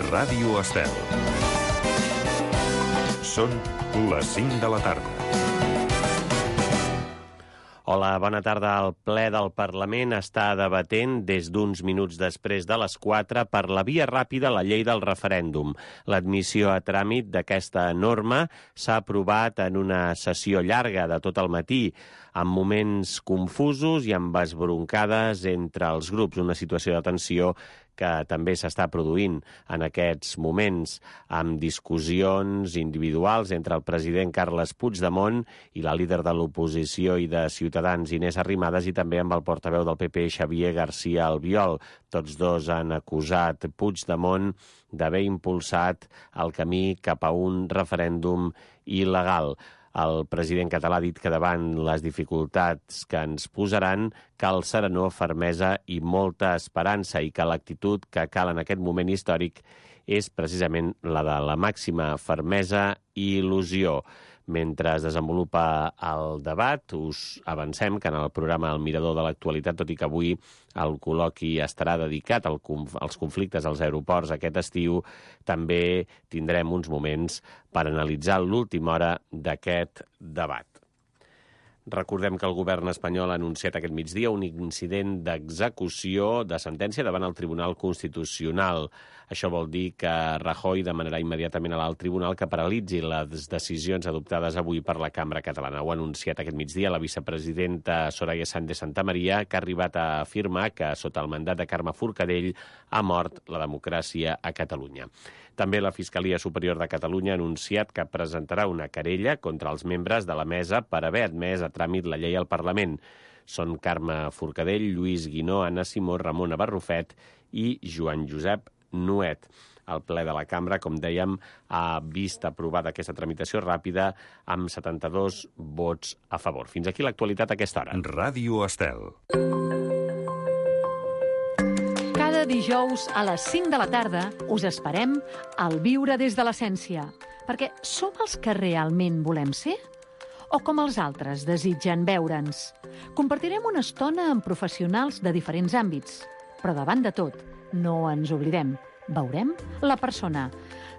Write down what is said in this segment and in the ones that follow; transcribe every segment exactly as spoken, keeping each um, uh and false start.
Ràdio Estel. Són les cinc de la tarda. Hola, bona tarda. El ple del Parlament està debatent des d'uns minuts després de les quatre per la via ràpida la llei del referèndum. L'admissió a tràmit d'aquesta norma s'ha aprovat en una sessió llarga de tot el matí, amb moments confusos i amb esbroncades entre els grups, una situació de tensió que també s'està produint en aquests moments, amb discussions individuals entre el president Carles Puigdemont i la líder de l'oposició i de Ciutadans, Inés Arrimadas, i també amb el portaveu del P P, Xavier García Albiol. Tots dos han acusat Puigdemont d'haver impulsat el camí cap a un referèndum il·legal. El president català ha dit que davant les dificultats que ens posaran cal serenor, fermesa i molta esperança, i que l'actitud que cal en aquest moment històric és precisament la de la màxima fermesa i il·lusió. Mentre es desenvolupa el debat, us avancem que en el programa El Mirador de l'Actualitat, tot i que avui el col·loqui estarà dedicat als conflictes als aeroports aquest estiu, també tindrem uns moments per analitzar l'última hora d'aquest debat. Recordem que el govern espanyol ha anunciat aquest migdia un incident d'execució de sentència davant el Tribunal Constitucional. Això vol dir que Rajoy demanarà immediatament a l'alt tribunal que paralitzi les decisions adoptades avui per la Cambra Catalana. Ho ha anunciat aquest migdia la vicepresidenta Soraya Sáenz de Santamaría, que ha arribat a afirmar que sota el mandat de Carme Forcadell ha mort la democràcia a Catalunya. També la Fiscalia Superior de Catalunya ha anunciat que presentarà una querella contra els membres de la mesa per haver admès a tràmit la llei al Parlament. Són Carme Forcadell, Lluís Guinó, Anna Simó, Ramona Barrufet i Joan Josep Nuet. El ple de la Cambra, com dèiem, ha vist aprovada aquesta tramitació ràpida amb setanta-dos vots a favor. Fins aquí l'actualitat a aquesta hora. Ràdio Estel. Cada dijous a les cinc de la tarda us esperem al Viure des de l'Essència, perquè som els que realment volem ser? O com els altres desitgen veure'ns? Compartirem una estona amb professionals de diferents àmbits, però davant de tot, no ens oblidem, veurem la persona.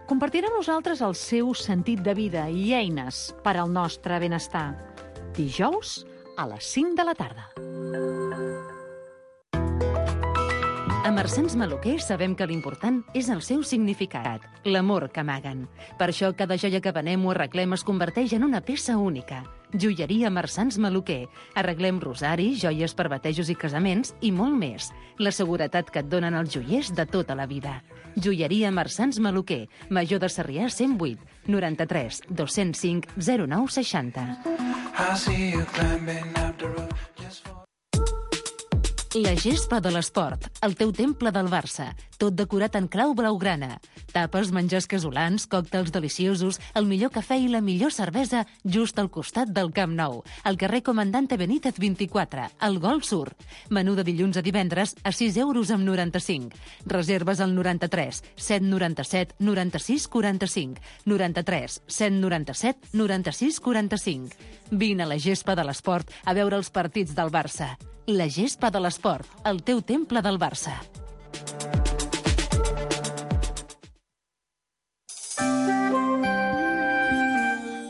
Compartirà amb nosaltres el seu sentit de vida i eines per al nostre benestar. Dijous a les cinc de la tarda. A Marsans Maluquer sabem que l'important és el seu significat, l'amor que amaguen. Per això cada joia que venem o arreglem es converteix en una peça única. Joieria Marsans Maluquer. Arreglem rosaris, joies per batejos i casaments i molt més. La seguretat que et donen els joiers de tota la vida. Joieria Marsans Maluquer. Major de Sarrià cent vuit, noranta-tres, dos-cents cinc, zero nou seixanta. La gespa de l'esport, el teu temple del Barça, tot decorat en clau blaugrana. Tapes, menjars casolans, còctels deliciosos, el millor cafè i la millor cervesa just al costat del Camp Nou, al carrer Comandante Benítez vint-i-quatre, al Golf Sur. Menú de dilluns a divendres a sis euros amb noranta-cinc. Reserves al noranta-tres, set noranta-set, noranta-sis, quaranta-cinc, noranta-tres, set noranta-set, noranta-sis, quaranta-cinc. Vine a la gespa de l'esport a veure els partits del Barça. La gespa de l'esport, el teu temple del Barça.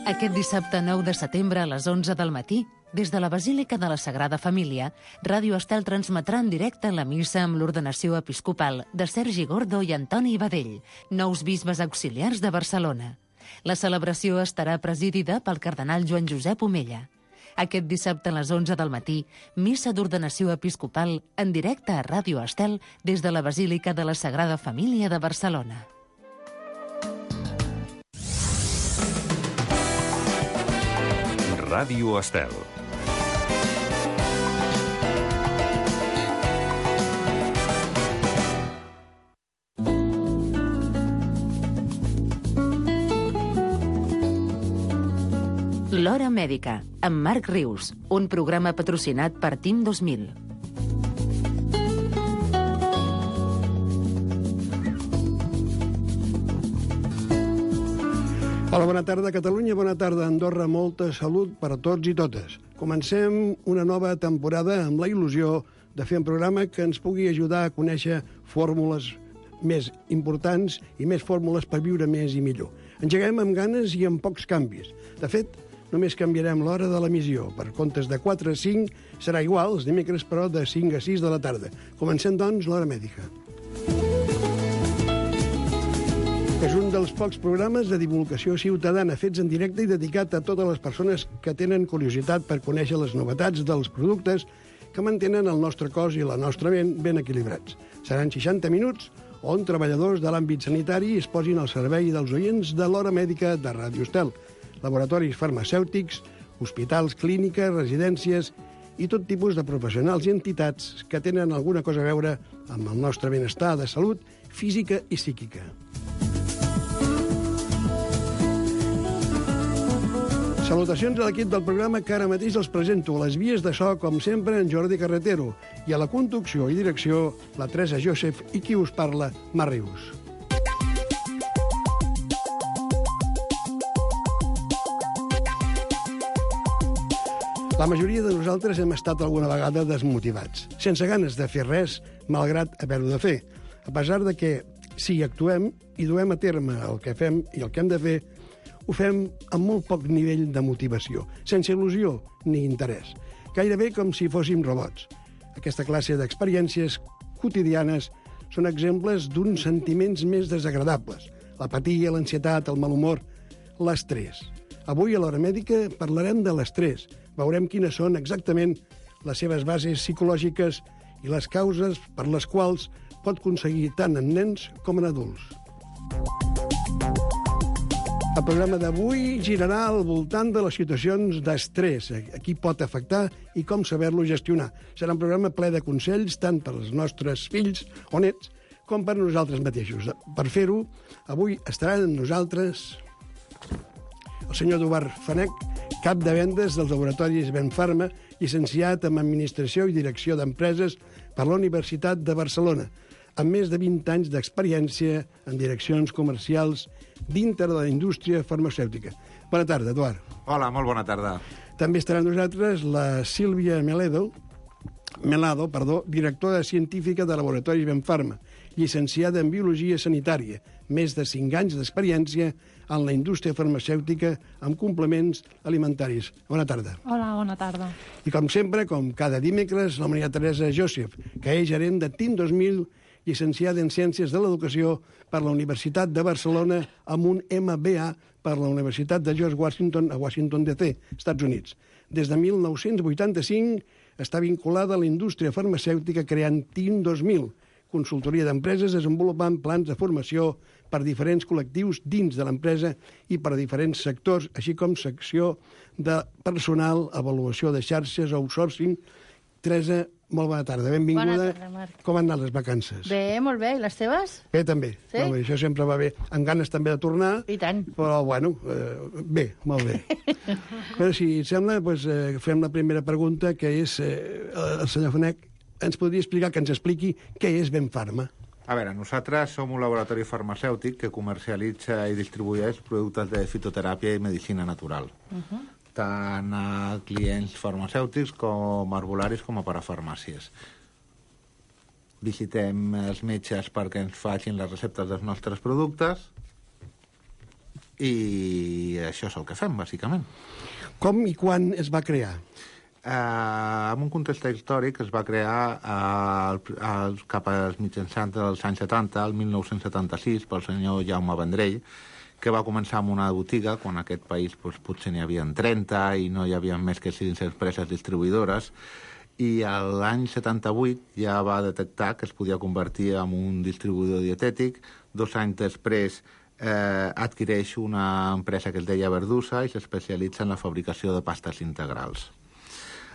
Aquest dissabte nou de setembre a les onze del matí, des de la Basílica de la Sagrada Família, Ràdio Estel transmetrà en directe la missa amb l'ordenació episcopal de Sergi Gordo i Antoni Badell, nous bisbes auxiliars de Barcelona. La celebració estarà presidida pel cardenal Joan Josep Omella. Aquest dissabte a les onze del matí, missa d'ordenació episcopal en directe a Ràdio Estel des de la Basílica de la Sagrada Família de Barcelona. Ràdio Estel. L'Hora Mèdica, amb Marc Rius, un programa patrocinat per Team dos mil. Hola, bona tarda, Catalunya, bona tarda, Andorra, molta salut per a tots i totes. Comencem una nova temporada amb la il·lusió de fer un programa que ens pugui ajudar a conèixer fórmules més importants i més fórmules per viure més i millor. Engeguem amb ganes i amb pocs canvis. De fet, només canviarem l'hora de l'emissió. Per comptes de quatre a cinc serà igual, els dimecres, però de cinc a sis de la tarda. Comencem, doncs, l'Hora Mèdica. És un dels pocs programes de divulgació ciutadana fets en directe i dedicat a totes les persones que tenen curiositat per conèixer les novetats dels productes que mantenen el nostre cos i la nostra ment ben equilibrats. Seran seixanta minuts on treballadors de l'àmbit sanitari es posin al servei dels oients de l'Hora Mèdica de Ràdio Estel. Laboratoris farmacèutics, hospitals, clíniques, residències i tot tipus de professionals i entitats que tenen alguna cosa a veure amb el nostre benestar de salut física i psíquica. Salutacions a l'equip del programa que ara mateix els presento. A les vies de so, com sempre, en Jordi Carretero. I a la conducció i direcció, la Teresa Joseph i qui us parla, Mar Rius. La majoria de nosaltres hem estat alguna vegada desmotivats, sense ganes de fer res, malgrat haver-ho de fer. A pesar de que, si actuem i duem a terme el que fem i el que hem de fer, ho fem amb molt poc nivell de motivació, sense il·lusió ni interès, gairebé com si fóssim robots. Aquesta classe d'experiències quotidianes són exemples d'uns sentiments més desagradables: l'apatia, l'ansietat, el mal humor, l'estrès. Avui a l'Hora Mèdica parlarem de l'estrès. Veurem quines són exactament les seves bases psicològiques i les causes per les quals pot aconseguir tant en nens com en adults. El programa d'avui girarà al voltant de les situacions d'estrès, a qui pot afectar i com saber-lo gestionar. Serà un programa ple de consells tant per als nostres fills o nets com per nosaltres mateixos. Per fer-ho, avui estaran amb nosaltres el senyor Eduard Fanech, cap de vendes dels laboratoris Benfarma, llicenciat en Administració i Direcció d'Empreses per la Universitat de Barcelona, amb més de vint anys d'experiència en direccions comercials dintre de la indústria farmacèutica. Bona tarda, Eduard. Hola, molt bona tarda. També estarà amb nosaltres la Sílvia Meledo, Melado, perdó, directora científica de Laboratoris Benfarma, llicenciada en Biologia Sanitària, més de cinc anys d'experiència en la indústria farmacèutica amb complements alimentaris. Bona tarda. Hola, bona tarda. I com sempre, com cada dimecres, la Maria Teresa Joseph, que és gerent de T I M dos mil, llicenciada en Ciències de l'Educació per la Universitat de Barcelona amb un M B A per la Universitat de George Washington a Washington D C, Estats Units. Des de mil nou-cents vuitanta-cinc està vinculada a la indústria farmacèutica creant T I M dos mil, consultoria d'empreses desenvolupant plans de formació per diferents col·lectius dins de l'empresa i per a diferents sectors, així com secció de personal, avaluació de xarxes, outsourcing. Teresa, molt bona tarda, benvinguda. Bona tarda, Marc. Com han anat les vacances? Bé, molt bé. I les teves? Bé, també. Sí? Molt bé. Això sempre va bé. Amb ganes també de tornar. I tant. Però, bueno, eh, bé, molt bé. Però, si et sembla, doncs, eh, fem la primera pregunta, que és, eh, el senyor Fanech ens podria explicar, que ens expliqui què és Benfarma. A veure, nosaltres som un laboratori farmacèutic que comercialitza i distribueix productes de fitoteràpia i medicina natural. Uh -huh. Tant a clients farmacèutics com arbolaris com a parafarmàcies. Visitem els metges perquè ens facin les receptes dels nostres productes i això és el que fem, bàsicament. Com i quan es va crear? Uh, en un context històric es va crear uh, el, el, cap als mitjançants dels anys setanta, el mil nou-cents setanta-sis, pel senyor Jaume Vendrell, que va començar amb una botiga, quan en aquest país doncs, potser n'hi havia trenta i no hi havia més que sis empreses distribuïdores, i l'any setanta-vuit ja va detectar que es podia convertir en un distribuïdor dietètic. Dos anys després eh, adquireix una empresa que es deia Verdusa i s'especialitza en la fabricació de pastes integrals.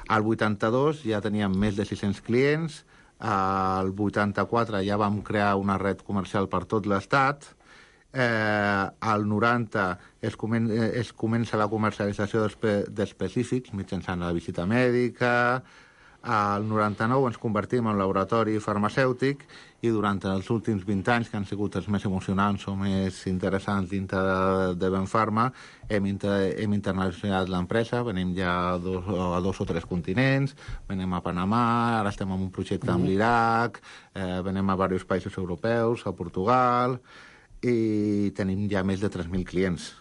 Al vuitanta-dos ja teníem més de sis-cents clients, al vuitanta-quatre ja vam crear una red comercial per tot l'estat, eh, al noranta es, comen es comença la comercialització d'específics mitjançant la visita mèdica, Al noranta-nou ens convertim en laboratori farmacèutic i durant els últims vint anys, que han sigut els més emocionants o més interessants dintre de, de Benfarma, hem, inter, hem internacionalitzat l'empresa, venim ja a dos, a dos o tres continents, venim a Panamà, ara estem en un projecte amb l'Iraq, eh, venim a diversos països europeus, a Portugal, i tenim ja més de tres mil clients.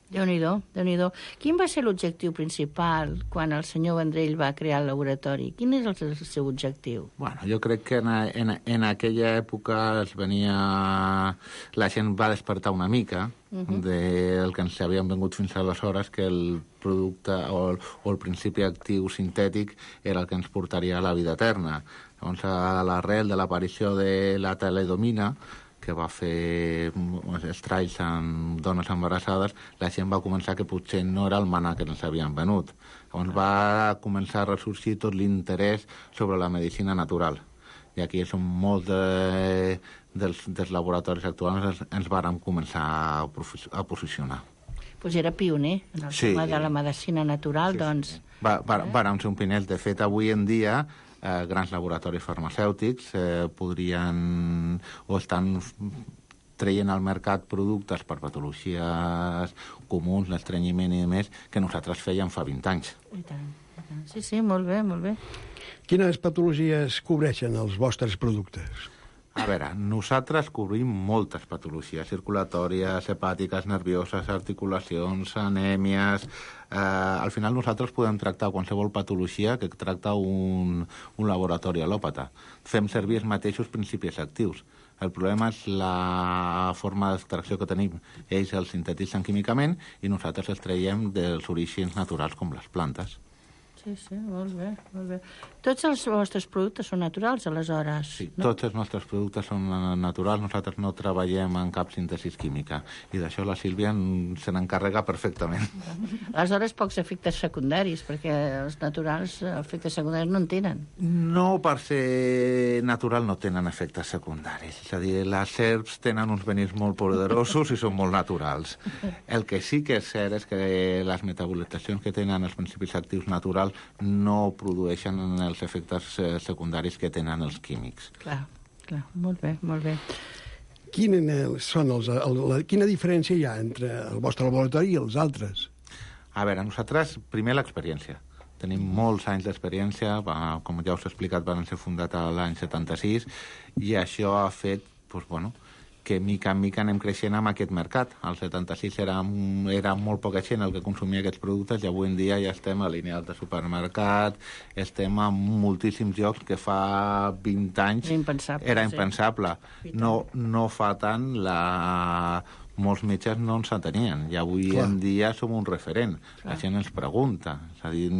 Déu-n'hi-do, Déu-n'hi-do. Quin va ser l'objectiu principal quan el senyor Vendrell va crear el laboratori? Quin és el, el seu objectiu? Bueno, jo crec que en, en, en aquella època es venia... la gent va despertar una mica uh -huh. del que ens havien vengut fins aleshores, que el producte o el, o el principi actiu sintètic era el que ens portaria a la vida eterna. Llavors, a l'arrel de l'aparició de la talidomina, que va fer estralls en dones embarassades, la gent va començar que potser no era el manà que ens havien venut. Llavors va començar a ressorgir tot l'interès sobre la medicina natural. I aquí és on molts de, dels, dels laboratoris actuals ens, ens vàrem començar a, a posicionar. Pues era pioner en el sí. tema de la medicina natural, sí, doncs... Sí. Va, va, vàrem ser un pioners. De fet, avui en dia, eh, grans laboratoris farmacèutics eh, podrien o estan traient al mercat productes per patologies comuns, l'estrenyiment i més, que nosaltres fèiem fa vint anys. I tant, i tant. Sí, sí, molt bé, molt bé. Quines patologies cobreixen els vostres productes? A veure, nosaltres cobrim moltes patologies circulatòries, hepàtiques, nervioses, articulacions, anèmies... Eh, al final nosaltres podem tractar qualsevol patologia que tracta un, un laboratori al·lòpata. Fem servir els mateixos principis actius. El problema és la forma d'extracció que tenim. Ells els sintetitzen químicament i nosaltres els traiem dels orígens naturals com les plantes. Sí, sí, molt bé, molt bé. Tots els vostres productes són naturals, aleshores? Sí, no? Tots els nostres productes són naturals. Nosaltres no treballem en cap síntesi química. I d'això la Sílvia se n'encarrega perfectament. Aleshores, pocs efectes secundaris, perquè els naturals, efectes secundaris no en tenen. No, per ser natural no tenen efectes secundaris. És a dir, les herbs tenen uns venins molt poderosos i són molt naturals. El que sí que és cert és que les metabolitzacions que tenen els principis actius naturals no produeixen els efectes secundaris que tenen els químics. Clar, clar, molt bé, molt bé. Quina, són els, el, la, quina diferència hi ha entre el vostre laboratori i els altres? A veure, nosaltres, primer l'experiència. Tenim molts anys d'experiència, com ja us he explicat, van ser fundat l'any setanta-sis, i això ha fet, doncs, bueno, que mica en mica anem creixent amb aquest mercat. Al setanta-sis era, era molt poca gent el que consumia aquests productes i avui en dia ja estem a lineals de supermercat, estem a moltíssims llocs que fa vint anys era impensable. Era impensable. Sí. No, no fa tant la... Molts metges no ens entenien i avui Clar. en dia som un referent. Clar. La gent ens pregunta. És a dir,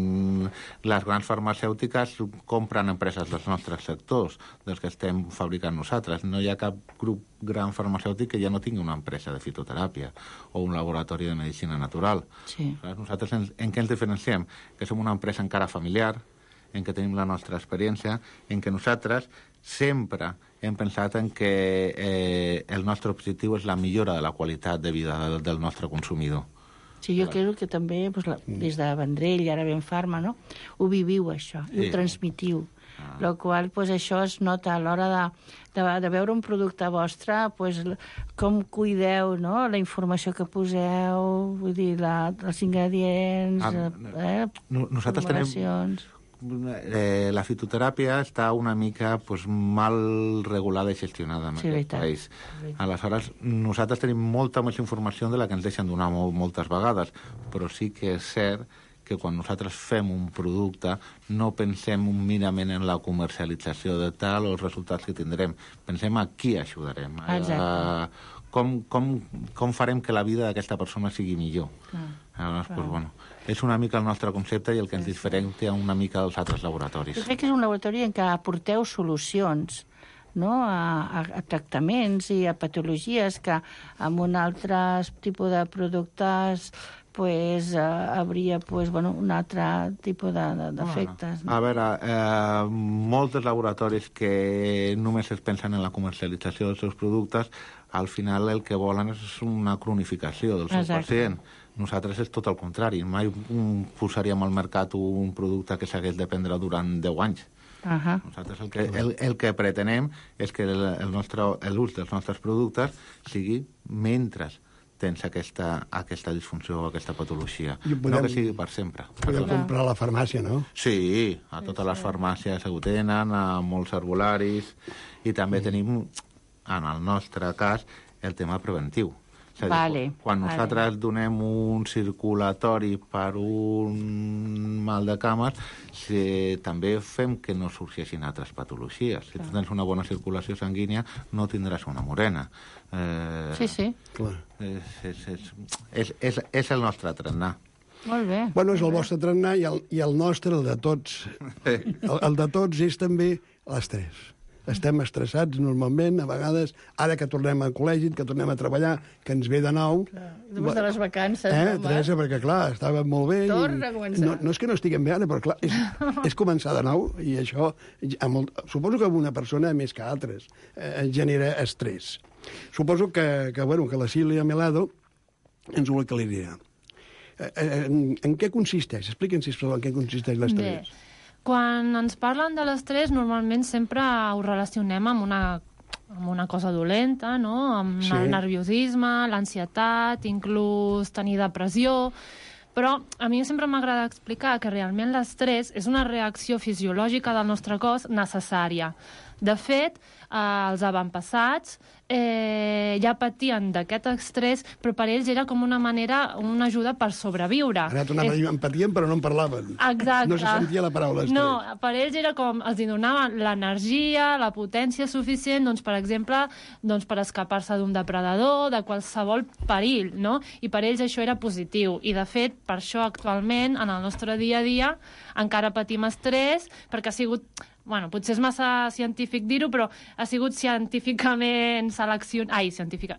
les grans farmacèutiques compren empreses dels nostres sectors, dels que estem fabricant nosaltres. No hi ha cap grup gran farmacèutic que ja no tingui una empresa de fitoteràpia o un laboratori de medicina natural. Sí. Nosaltres en, en què ens diferenciem? Que som una empresa encara familiar, en què tenim la nostra experiència, en què nosaltres sempre hem pensat en que eh, el nostre objectiu és la millora de la qualitat de vida del, del nostre consumidor. Sí, jo crec que també, doncs, la, des de Vendrell i ara Benfarma, no? Ho viviu, això, i sí. ho transmitiu. Ah. La qual cosa, doncs, això es nota a l'hora de, de, de veure un producte vostre, doncs, com cuideu, no? La informació que poseu, vull dir, la, els ingredients, ah, eh, nosaltres tenim... Eh, la fitoteràpia està una mica pues, mal regulada i gestionada en sí, aquest país. Aleshores, nosaltres tenim molta més informació de la que ens deixen donar molt, moltes vegades, però sí que és cert que quan nosaltres fem un producte no pensem un minament en la comercialització de tal o els resultats que tindrem. Pensem a qui ajudarem. A, com, com, com farem que la vida d'aquesta persona sigui millor. Ah, Aleshores, doncs, bueno, és una mica el nostre concepte i el que ens diferencia una mica dels altres laboratoris. Jo crec que és un laboratori en què aporteu solucions, no? a, a, a tractaments i a patologies que amb un altre tipus de productes pues, uh, hauria pues, bueno, un altre tipus d'efectes. De, de, no? A veure, eh, molts laboratoris que només es pensen en la comercialització dels seus productes, al final el que volen és una cronificació del seu Exacte. pacient. Nosaltres és tot el contrari. Mai posaríem al mercat un producte que s'hagués de prendre durant deu anys. Uh-huh. Nosaltres el que, el, el que pretenem és que el, el nostre, l'ús dels nostres productes sigui mentre tens aquesta, aquesta disfunció o aquesta patologia. Podem, no que sigui per sempre. Podem Però... comprar a la farmàcia, no? Sí, a totes les farmàcies ho tenen, a molts herbolaris, i també mm. tenim, en el nostre cas, el tema preventiu. És a dir, vale, quan nosaltres vale. donem un circulatori per un mal de cames, si, també fem que no sorgeixin altres patologies. Si tu tens una bona circulació sanguínia, no tindràs una morena. Eh, sí, sí. Clar. És, és, és, és, és, és el nostre trenar. Molt bé. Bueno, és el vostre trenar i el, i el nostre, el de tots. El, el de tots és també l'estrès. Estem estressats normalment, a vegades, ara que tornem al col·legi, que tornem a treballar, que ens ve de nou... Clar. Després de les vacances, eh, no, Teresa, perquè, clar, estava molt bé... Torna a començar. No, no és que no estiguem bé ara, però, clar, és, és començar de nou, i això, molt, suposo que una persona, més que altres, eh, genera estrès. Suposo que, que, bueno, que la Sílvia Melado ens ho aclarirà. Eh, en, en què consisteix? Expliquen, sisplau, en què consisteix l'estrès. Bé. Quan ens parlen de l'estrès, normalment sempre ho relacionem amb una, amb una cosa dolenta, no? Amb sí. el nerviosisme, l'ansietat, inclús tenir depressió... Però a mi sempre m'agrada explicar que realment l'estrès és una reacció fisiològica del nostre cos necessària. De fet, eh, els avantpassats eh, ja patien d'aquest estrès, però per ells era com una manera, una ajuda per sobreviure. Ara tornava a dir, en patien, però no en parlaven. Exacte. No se sentia la paraula estrès. No, per ells era com, els donaven l'energia, la potència suficient, doncs, per exemple, doncs, per escapar-se d'un depredador, de qualsevol perill, no? I per ells això era positiu. I, de fet, per això actualment, en el nostre dia a dia, encara patim estrès, perquè ha sigut... Bueno, potser és massa científic dir-ho, però ha sigut científicament seleccionat... Ai, científica,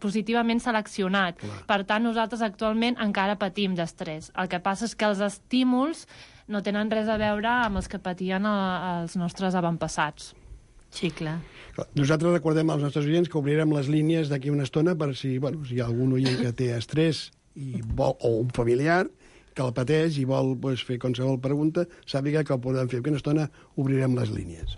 positivament seleccionat. Clar. Per tant, nosaltres actualment encara patim d'estrès. El que passa és que els estímuls no tenen res a veure amb els que patien els nostres avantpassats. Sí, clar. Nosaltres recordem als nostres oients que obrirem les línies d'aquí una estona per si, bueno, si hi ha algun oient que té estrès i vol, o un familiar que el pateix i vol pues, fer qualsevol pregunta, sàpiga que el podem fer. En una estona obrirem les línies.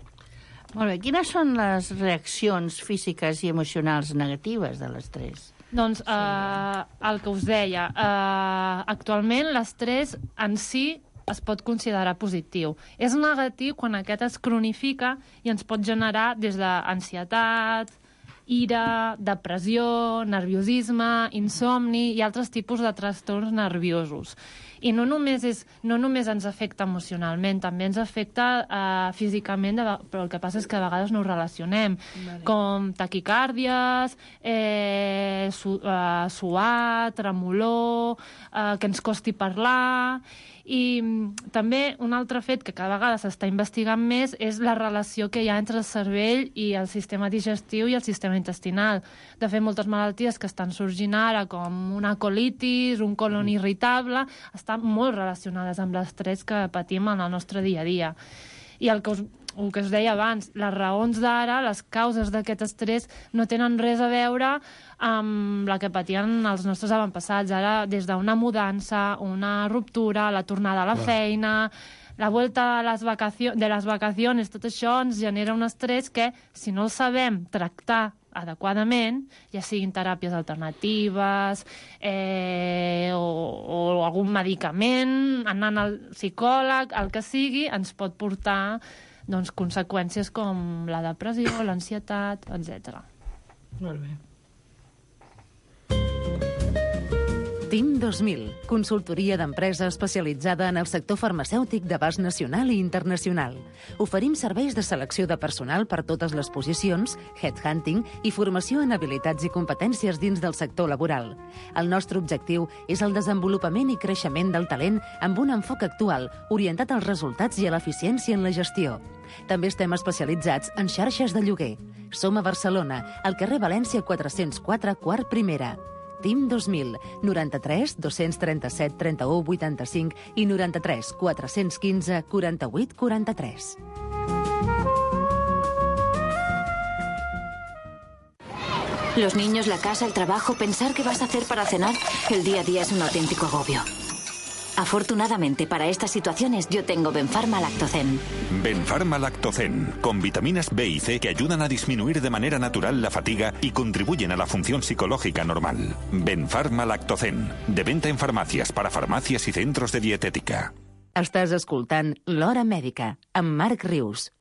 Molt bé. Quines són les reaccions físiques i emocionals negatives de l'estrès? Doncs eh, el que us deia, eh, actualment l'estrès en si es pot considerar positiu. És negatiu quan aquest es cronifica i ens pot generar des d'ansietat, ira, depressió, nerviosisme, insomni i altres tipus de trastorns nerviosos. I no només, és, no només ens afecta emocionalment, també ens afecta eh, físicament, de, però el que passa és que a vegades no ho relacionem, vale. Com taquicàrdies, eh, su, eh, suar, tremolor, eh, que ens costi parlar... I també un altre fet que cada vegada s'està investigant més és la relació que hi ha entre el cervell i el sistema digestiu i el sistema intestinal. De fet, moltes malalties que estan sorgint ara, com una colitis, un colon irritable, estan molt relacionades amb l'estrès que patim en el nostre dia a dia. I el que us, el que us deia abans, les raons d'ara, les causes d'aquest estrès, no tenen res a veure amb la que patien els nostres avantpassats. Ara, des d'una mudança, una ruptura, la tornada a la feina, la vuelta a les vacacions, de les vacacions, tot això ens genera un estrès que, si no el sabem tractar adequadament, ja siguin teràpies alternatives eh, o, o algun medicament, anant al psicòleg, el que sigui, ens pot portar doncs, conseqüències com la depressió, l'ansietat, etcètera. Molt bé. T I M dos mil, consultoria d'empresa especialitzada en el sector farmacèutic d'abast nacional i internacional. Oferim serveis de selecció de personal per totes les posicions, headhunting i formació en habilitats i competències dins del sector laboral. El nostre objectiu és el desenvolupament i creixement del talent amb un enfoc actual, orientat als resultats i a l'eficiència en la gestió. També estem especialitzats en xarxes de lloguer. Som a Barcelona, al carrer València quatre-cents quatre, quart primera. T I M dos mil, noranta-tres dos-cents trenta-set trenta-u vuitanta-cinc i noranta-tres quatre-cents quinze quaranta-vuit quaranta-tres. Los niños, la casa, el trabajo, pensar qué vas a hacer para cenar. El día a día es un auténtico agobio. Afortunadamente para estas situaciones yo tengo Benfarma Lactocen. Benfarma Lactocen, con vitaminas B y C que ayudan a disminuir de manera natural la fatiga y contribuyen a la función psicológica normal. Benfarma Lactocen, de venta en farmàcies, para farmàcies i centros de dietética. Estàs escoltant L'Hora Mèdica, amb Marc Rius.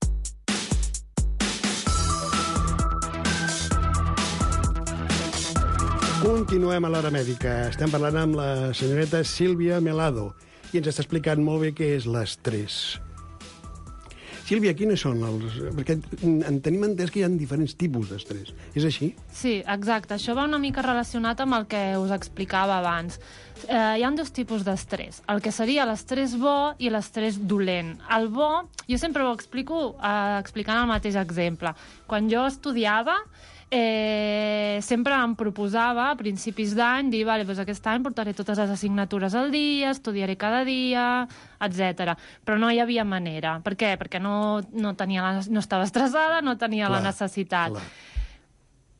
Continuem a l'Hora Mèdica. Estem parlant amb la senyoreta Sílvia Melado i ens està explicant molt bé què és l'estrès. Sílvia, quines són els... Perquè en tenim entès que hi ha diferents tipus d'estrès. És així? Sí, exacte. Això va una mica relacionat amb el que us explicava abans. Eh, hi ha dos tipus d'estrès. El que seria l'estrès bo i l'estrès dolent. El bo, jo sempre ho explico eh, explicant el mateix exemple. Quan jo estudiava, Eh, sempre em proposava a principis d'any dir, vale, doncs aquest any portaré totes les assignatures al dia, estudiaré cada dia, etcètera. Però no hi havia manera. Per què? Perquè no, no, tenia la, no estava estressada, no tenia clar, la necessitat. Clar.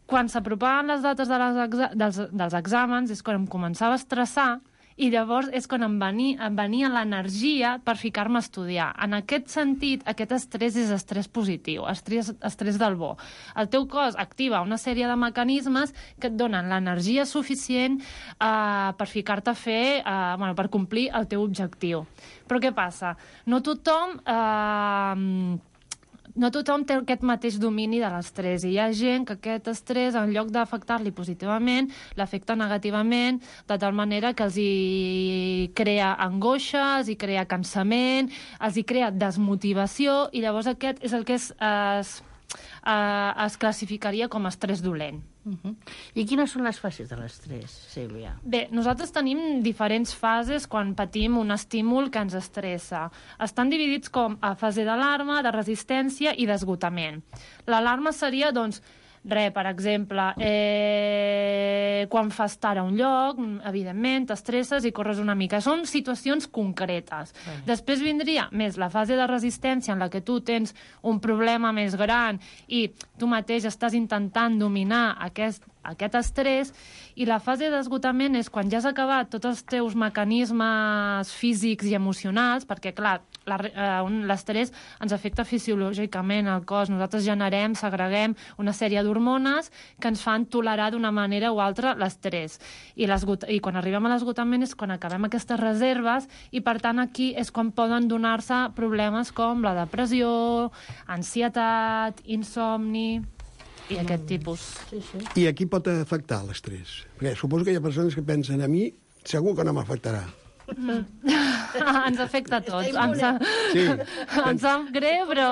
Quan s'apropaven les dates de les exa dels, dels exàmens és quan em començava a estressar i llavors és quan em venia, em venia l'energia per ficar-me a estudiar. En aquest sentit, aquest estrès és estrès positiu, estrès, estrès del bo. El teu cos activa una sèrie de mecanismes que et donen l'energia suficient eh, per ficar-te a fer, eh, bueno, per complir el teu objectiu. Però què passa? No tothom... Eh, No tothom té aquest mateix domini de l'estrès i hi ha gent que aquest estrès, en lloc d'afectar-li positivament, l'afecta negativament, de tal manera que els hi crea angoixa, els hi crea cansament, els hi crea desmotivació i llavors aquest és el que es, es, es classificaria com a estrès dolent. Uh-huh. I quines són les fases de l'estrès, Sílvia? Bé, nosaltres tenim diferents fases quan patim un estímul que ens estressa. Estan dividits com a fase d'alarma, de resistència i d'esgotament. L'alarma seria, doncs, res, per exemple, eh, quan fas tard a un lloc, evidentment, t'estresses i corres una mica. Són situacions concretes. Uh-huh. Després vindria més la fase de resistència en la que tu tens un problema més gran i tu mateix estàs intentant dominar aquest, aquest estrès, i la fase d'esgotament és quan ja has acabat tots els teus mecanismes físics i emocionals, perquè, clar, l'estrès ens afecta fisiològicament al cos. Nosaltres generem, segreguem una sèrie d'hormones que ens fan tolerar d'una manera o altra l'estrès. I, I quan arribem a l'esgotament és quan acabem aquestes reserves i, per tant, aquí és quan poden donar-se problemes com la depressió, ansietat, insomni i aquest tipus. Sí, sí. I a qui pot afectar l'estrès? Perquè suposo que hi ha persones que pensen a mi, segur que no m'afectarà. Mm. Ens afecta a tots. Ens, sí. ens sap greu, però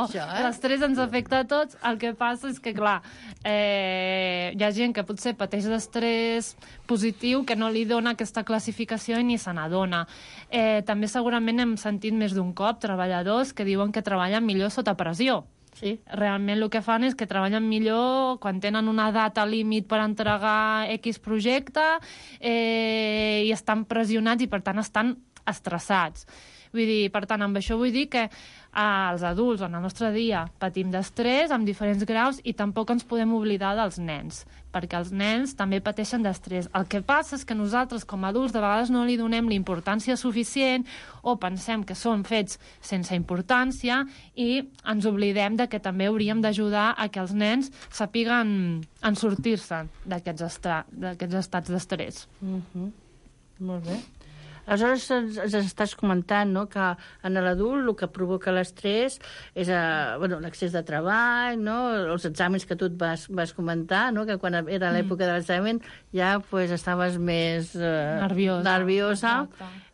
això, eh? L'estrès ens afecta a tots. El que passa és que, clar, eh, hi ha gent que potser pateix d'estrès positiu que no li dona aquesta classificació i ni se n'adona. Eh, també segurament hem sentit més d'un cop treballadors que diuen que treballen millor sota pressió. Sí. Realment el que fan és que treballen millor quan tenen una data límit per entregar X projecte eh, i estan pressionats i, per tant, estan estressats. Vull dir, per tant, amb això vull dir que eh, els adults en el nostre dia patim d'estrès amb diferents graus i tampoc ens podem oblidar dels nens, perquè els nens també pateixen d'estrès. El que passa és que nosaltres, com a adults, de vegades no li donem la importància suficient o pensem que són fets sense importància i ens oblidem de que també hauríem d'ajudar a que els nens sàpiguen en sortir-se d'aquests estra- d'aquests estats d'estrès. Uh-huh. Molt bé. Aleshores, ens, ens estàs comentant, no?, que en l'adult el que provoca l'estrès és eh, bueno, l'excés de treball, no?, els exàmens que tu et vas, vas comentar, no?, que quan era l'època de l'examen ja pues, estaves més eh, nerviosa. nerviosa.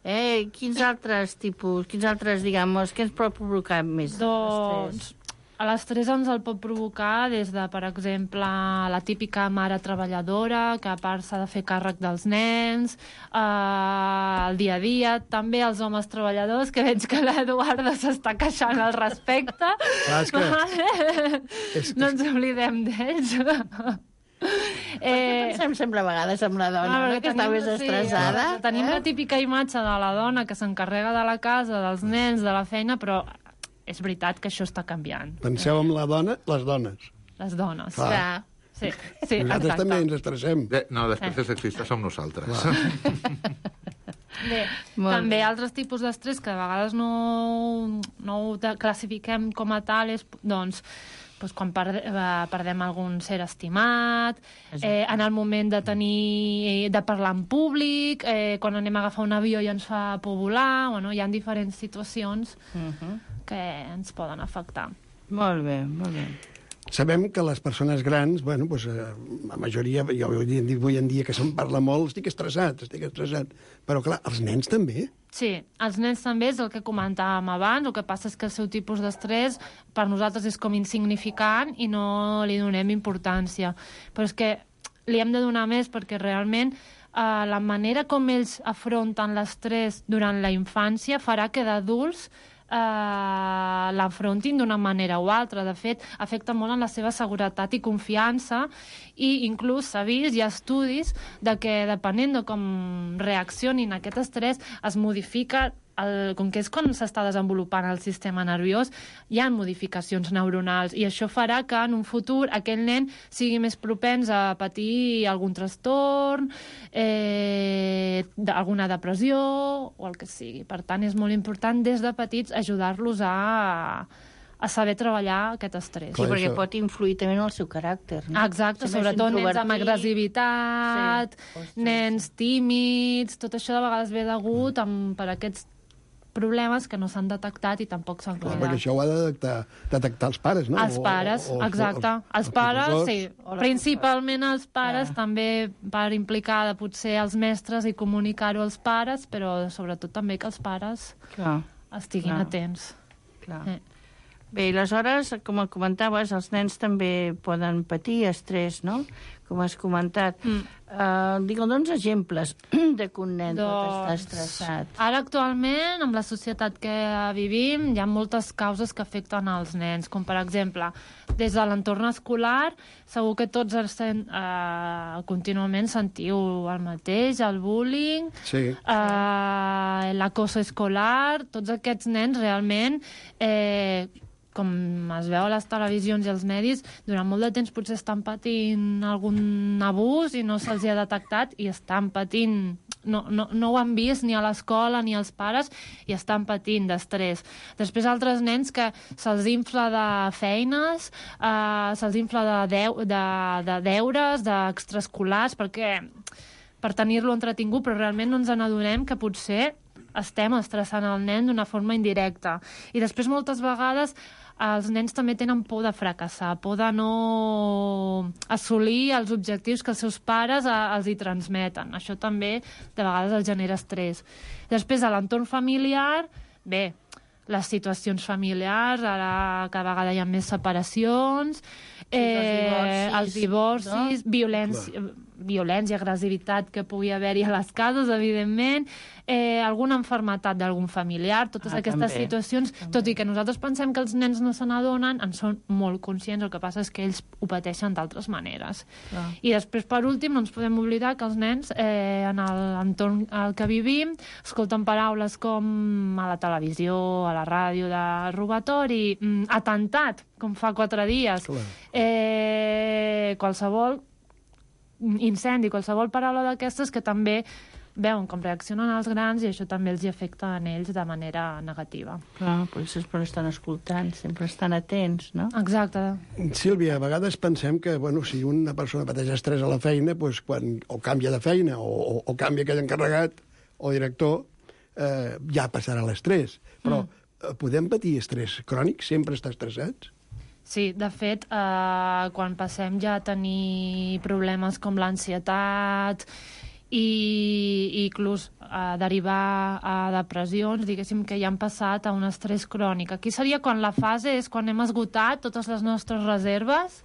Eh, quins altres tipus, quins altres, diguem, què ens pot provocar més doncs, estrès? L'estrès ens el pot provocar des de, per exemple, la típica mare treballadora, que a part s'ha de fer càrrec dels nens, eh, el dia a dia, també els homes treballadors, que veig que l'Eduardo s'està queixant al respecte. Ah, és que... és que... No ens oblidem d'ells. Eh, pensem sempre a vegades amb la dona, ah, no? Que està més estressada. Sí, tenim eh? la típica imatge de la dona que s'encarrega de la casa, dels nens, de la feina, però és veritat que això està canviant. Penseu en la dona, les dones. Les dones. Clar. Sí, sí, nosaltres exacte. també ens estressem. De, no, després de sexistes som nosaltres. Bé, també altres tipus d'estrès que a vegades no, no ho classifiquem com a tal és, doncs, doncs quan perde, perdem algun ser estimat, eh, en el moment de tenir de parlar en públic, eh, quan anem a agafar un avió i ens fa por volar, bueno, hi ha diferents situacions uh-huh. que ens poden afectar. Molt bé, molt bé. Sabem que les persones grans, bueno, doncs, eh, la majoria, jo avui en dia que se'n parla molt, estic estressat, estic estressat. Però, clar, els nens també? Sí, els nens també és el que comentàvem abans, el que passa és que el seu tipus d'estrès per nosaltres és com insignificant i no li donem importància. Però és que li hem de donar més perquè realment eh, la manera com ells afronten l'estrès durant la infància farà que d'adults Uh, l'afrontin d'una manera o altra. De fet, afecta molt en la seva seguretat i confiança, i inclús s'ha vist, hi ha estudis de que depenent de com reaccionin a aquest estrès es modifica el, com que és quan s'està desenvolupant el sistema nerviós, hi ha modificacions neuronals i això farà que en un futur aquell nen sigui més propens a patir algun trastorn, eh, alguna depressió o el que sigui. Per tant, és molt important des de petits ajudar-los a, a saber treballar aquest estrès. Sí, perquè pot influir també en el seu caràcter. No? Exacte, si sobretot nens amb agressivitat, sí. nens tímids, tot això de vegades ve degut amb, per aquests problemes que no s'han detectat i tampoc s'han cuidat. Perquè això ho ha de detectar, detectar els pares, no? Els pares, o, o, exacte. Els, els, els pares, sí. Principalment els pares, ja. També per implicar potser els mestres i comunicar-ho als pares, però sobretot també que els pares Clar. estiguin Clar. atents. Clar. Eh. Bé, i aleshores, com comentaves, els nens també poden patir estrès, no? Com has comentat. Mm. Uh, Digue'ns exemples de que un nen doncs, pot estar estressat. Ara, actualment, amb la societat que vivim, hi ha moltes causes que afecten els nens, com, per exemple, des de l'entorn escolar, segur que tots sent, uh, contínuament sentiu el mateix, el bullying, sí. uh, l'acoso escolar, tots aquests nens realment... Eh, com es veu a les televisions i als medis, durant molt de temps potser estan patint algun abús i no se'ls ha detectat i estan patint, no, no, no ho han vist ni a l'escola ni als pares i estan patint d'estrès. Després altres nens que se'ls infla de feines, eh, se'ls infla de, deu, de, de deures, d'extraescolars, perquè per tenir-lo entretingut, però realment no ens n'adonem que potser estem estressant el nen d'una forma indirecta. I després moltes vegades els nens també tenen por de fracassar, por de no assolir els objectius que els seus pares a, els hi transmeten. Això també de vegades els genera estrès. Després, a l'entorn familiar, bé, les situacions familiars, ara cada vegada hi ha més separacions, sí, eh, els divorcis, no? violència... Clar. violència, agressivitat que pugui haver-hi a les cases, evidentment, eh, alguna enfermetat d'algun familiar, totes ah, aquestes també. situacions, també. Tot i que nosaltres pensem que els nens no se n'adonen, en són molt conscients, el que passa és que ells ho pateixen d'altres maneres. Ah. I després, per últim, no ens podem oblidar que els nens, eh, en l'entorn al que vivim, escolten paraules com a la televisió, a la ràdio, de robatori, mm, atemptat, com fa quatre dies, eh, qualsevol incendi, qualsevol paraula d'aquestes que també veuen com reaccionen els grans i això també els hi afecta a ells de manera negativa. Clar, per això sempre estan escoltant, sempre estan atents, no? Exacte. Sílvia, a vegades pensem que, bueno, si una persona pateix estrès a la feina, doncs quan o canvia de feina o, o, o canvia aquell encarregat o director, eh, ja passarà l'estrès. Però mm. podem patir estrès crònic? Sempre estar estressats? Sí, de fet, eh, quan passem ja a tenir problemes com l'ansietat i, i inclús a derivar a depressions, diguéssim que ja han passat a un estrès crònic. Aquí seria quan la fase és quan hem esgotat totes les nostres reserves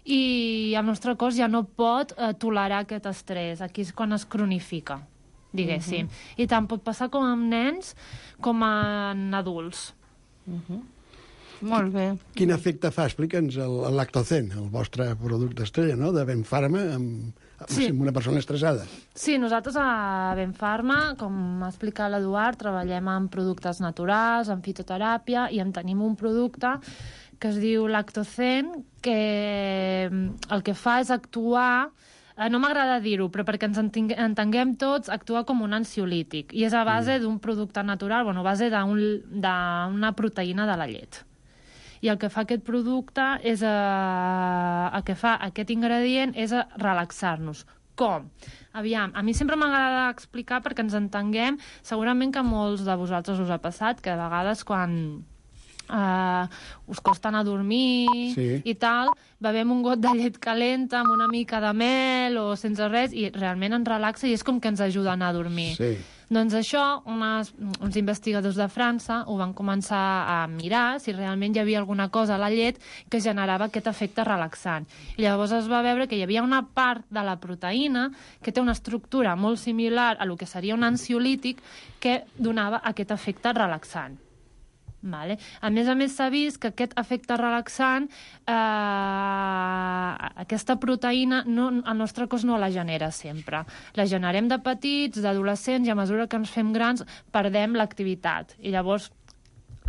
i el nostre cos ja no pot eh, tolerar aquest estrès. Aquí és quan es cronifica, diguéssim. Uh-huh. I tant pot passar com amb nens com en adults. Uh-huh. Molt bé. Quin efecte fa? Explica'ns el, el Lactocen, el vostre producte estrella, no?, de Benfarma, amb, sí. amb una persona estressada. Sí, nosaltres a Benfarma, com ha explicat l'Eduard, treballem amb productes naturals, amb fitoteràpia, i en tenim un producte que es diu Lactocen, que el que fa és actuar eh, no m'agrada dir-ho, però perquè ens entenguem tots, actua com un ansiolític i és a base mm. d'un producte natural, bueno, a base d'una proteïna de la llet. I el que fa aquest producte és, eh, el que fa aquest ingredient és relaxar-nos. Com? Aviam, a mi sempre m'agrada explicar perquè ens entenguem, segurament que a molts de vosaltres us ha passat, que a vegades quan uh, us costa anar a dormir sí. i tal, bevem un got de llet calenta amb una mica de mel o sense res i realment ens relaxa i és com que ens ajuda a anar a dormir. Sí. Doncs això, unes, uns investigadors de França ho van començar a mirar si realment hi havia alguna cosa a la llet que generava aquest efecte relaxant. I llavors es va veure que hi havia una part de la proteïna que té una estructura molt similar a lo que seria un ansiolític que donava aquest efecte relaxant. Vale. A més a més s'ha vist que aquest efecte relaxant, eh, aquesta proteïna, no, el nostre cos no la genera sempre. La generem de petits, d'adolescents, i a mesura que ens fem grans perdem l'activitat. I llavors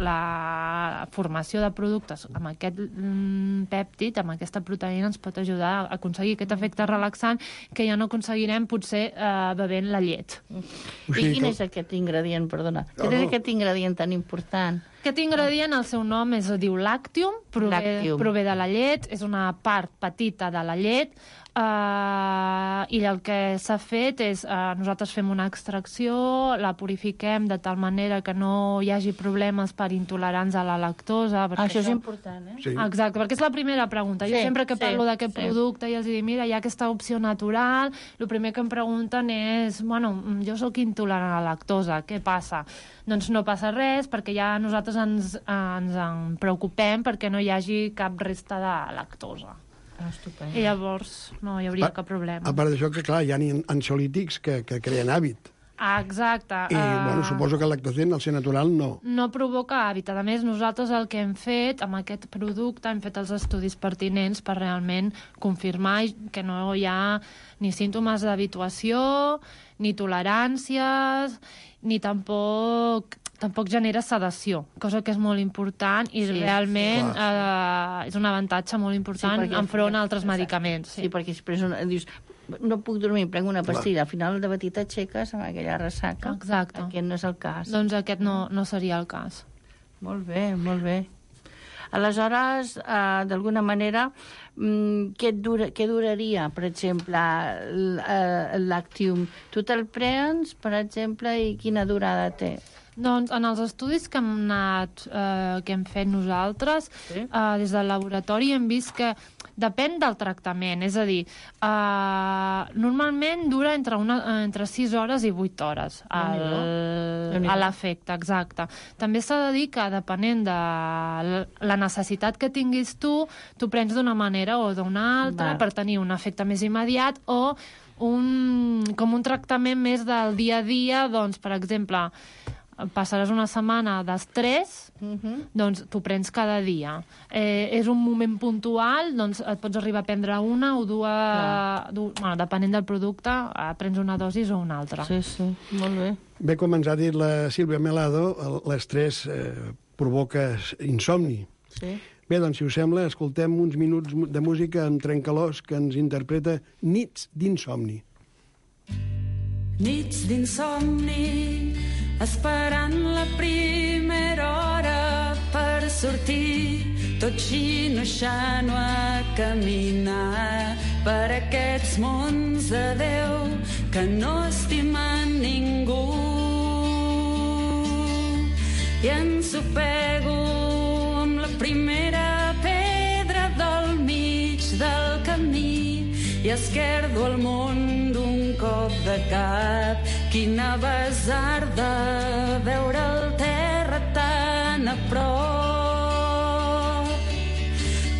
la formació de productes amb aquest mm, pèptid, amb aquesta proteïna, ens pot ajudar a aconseguir aquest efecte relaxant que ja no aconseguirem potser eh, bevent la llet. I quin és aquest ingredient, perdona? Quin és aquest ingredient tan important? Aquest ingredient, el seu nom és, diu Lactium, prové, Lactium. prové de la llet, és una part petita de la llet, uh, i el que s'ha fet és, uh, nosaltres fem una extracció, la purifiquem de tal manera que no hi hagi problemes per intolerants a la lactosa. Ah, això és important, eh? Sí. Exacte, perquè és la primera pregunta. Jo sí, sempre que parlo sí, d'aquest sí. producte i els dic, mira, hi ha aquesta opció natural, el primer que em pregunten és, bueno, jo sóc intolerant a la lactosa, què passa? Doncs no passa res, perquè ja nosaltres ens, ens en preocupem perquè no hi hagi cap resta de lactosa. Ah, estupend. I llavors no hi hauria a, cap problema. A part d'això, que clar, hi ha ansiolítics que, que creen hàbit. Ah, exacte. I, uh, bueno, suposo que el lactocen, al ser natural, no. No provoca hàbit. A més, nosaltres el que hem fet amb aquest producte, hem fet els estudis pertinents per realment confirmar que no hi ha ni símptomes d'habituació, ni toleràncies, ni tampoc tampoc genera sedació, cosa que és molt important i sí, realment sí, eh, és un avantatge molt important sí, enfront a altres medicaments. Sí, sí perquè després una, dius, no puc dormir, prenc una pastilla, al final de matí t'aixeques amb aquella ressaca. Exacte. Aquest no és el cas. Doncs aquest no, no seria el cas. Molt bé, molt bé. Aleshores, eh, d'alguna manera, què, dura, què duraria, per exemple, el, el Lactium? Tu te'l prens, per exemple, i quina durada té? Doncs en els estudis que hem anat, eh, que hem fet nosaltres, sí? eh, des del laboratori hem vist que depèn del tractament, és a dir, eh, normalment dura entre, una, entre sis hores i vuit hores el, a l'efecte, exacte. També s'ha de dir que depenent de la necessitat que tinguis tu, tu prens d'una manera o d'una altra, va, per tenir un efecte més immediat o un, com un tractament més del dia a dia, doncs, per exemple, passaràs una setmana d'estrès, uh-huh. doncs t'ho prens cada dia. Eh, és un moment puntual, doncs et pots arribar a prendre una o dues, du, bueno, depenent del producte, eh, prens una dosis o una altra. Sí, sí, molt bé. Bé, com ens ha dit la Sílvia Melado, l'estrès eh, provoca insomni. Sí. Bé, doncs, si us sembla, escoltem uns minuts de música amb Trencalós que ens interpreta Nits d'insomni. Nits d'insomni, esperant la primera hora per sortir, tot xinoxant a caminar per aquests mons de Déu que no estimen ningú. I ensopego amb la primera pedra del mig del camí i esquerdo el món d'un cop de cap. Quina basarda veure el terra tan a prop.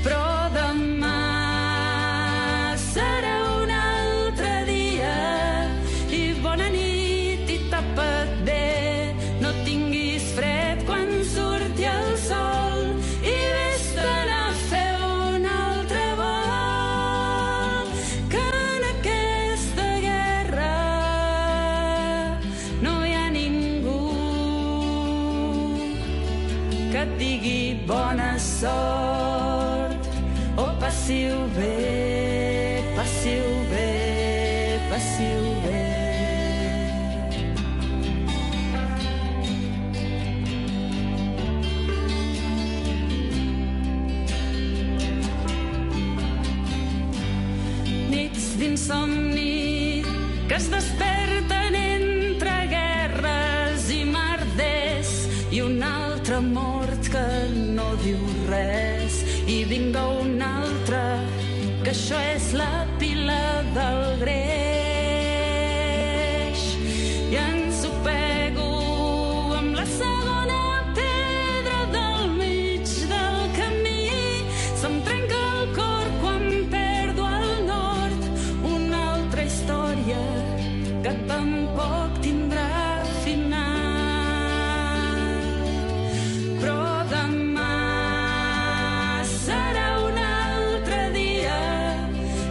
Però demà serà un altre dia i bona nit i tapa't bé. No tinguis fred quan surti el sol i vés-te'n a fer un altre vol. Que en aquesta guerra no hi ha ningú que et digui passiu bé. Nits d'insomni que es desperten entre guerres i merders i un altre mort que no diu res i vinga un altre que això és la pila del greix i ens ho pego amb la segona pedra del mig del camí. Se'm trenca el cor quan perdo el nord, una altra història que tampoc tindrà final. Però demà serà un altre dia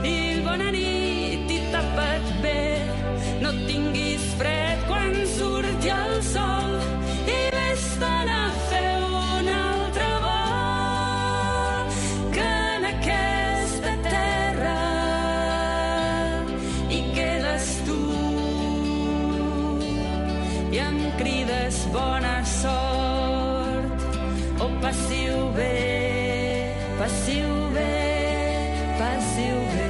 i bona nit i tapa't bé. No tinguis fred quan surti el sol i vés-te'n a fer un altre vol, que en aquesta terra hi quedes tu i em crides bona sort. Oh, passiu bé, passiu bé, passiu bé.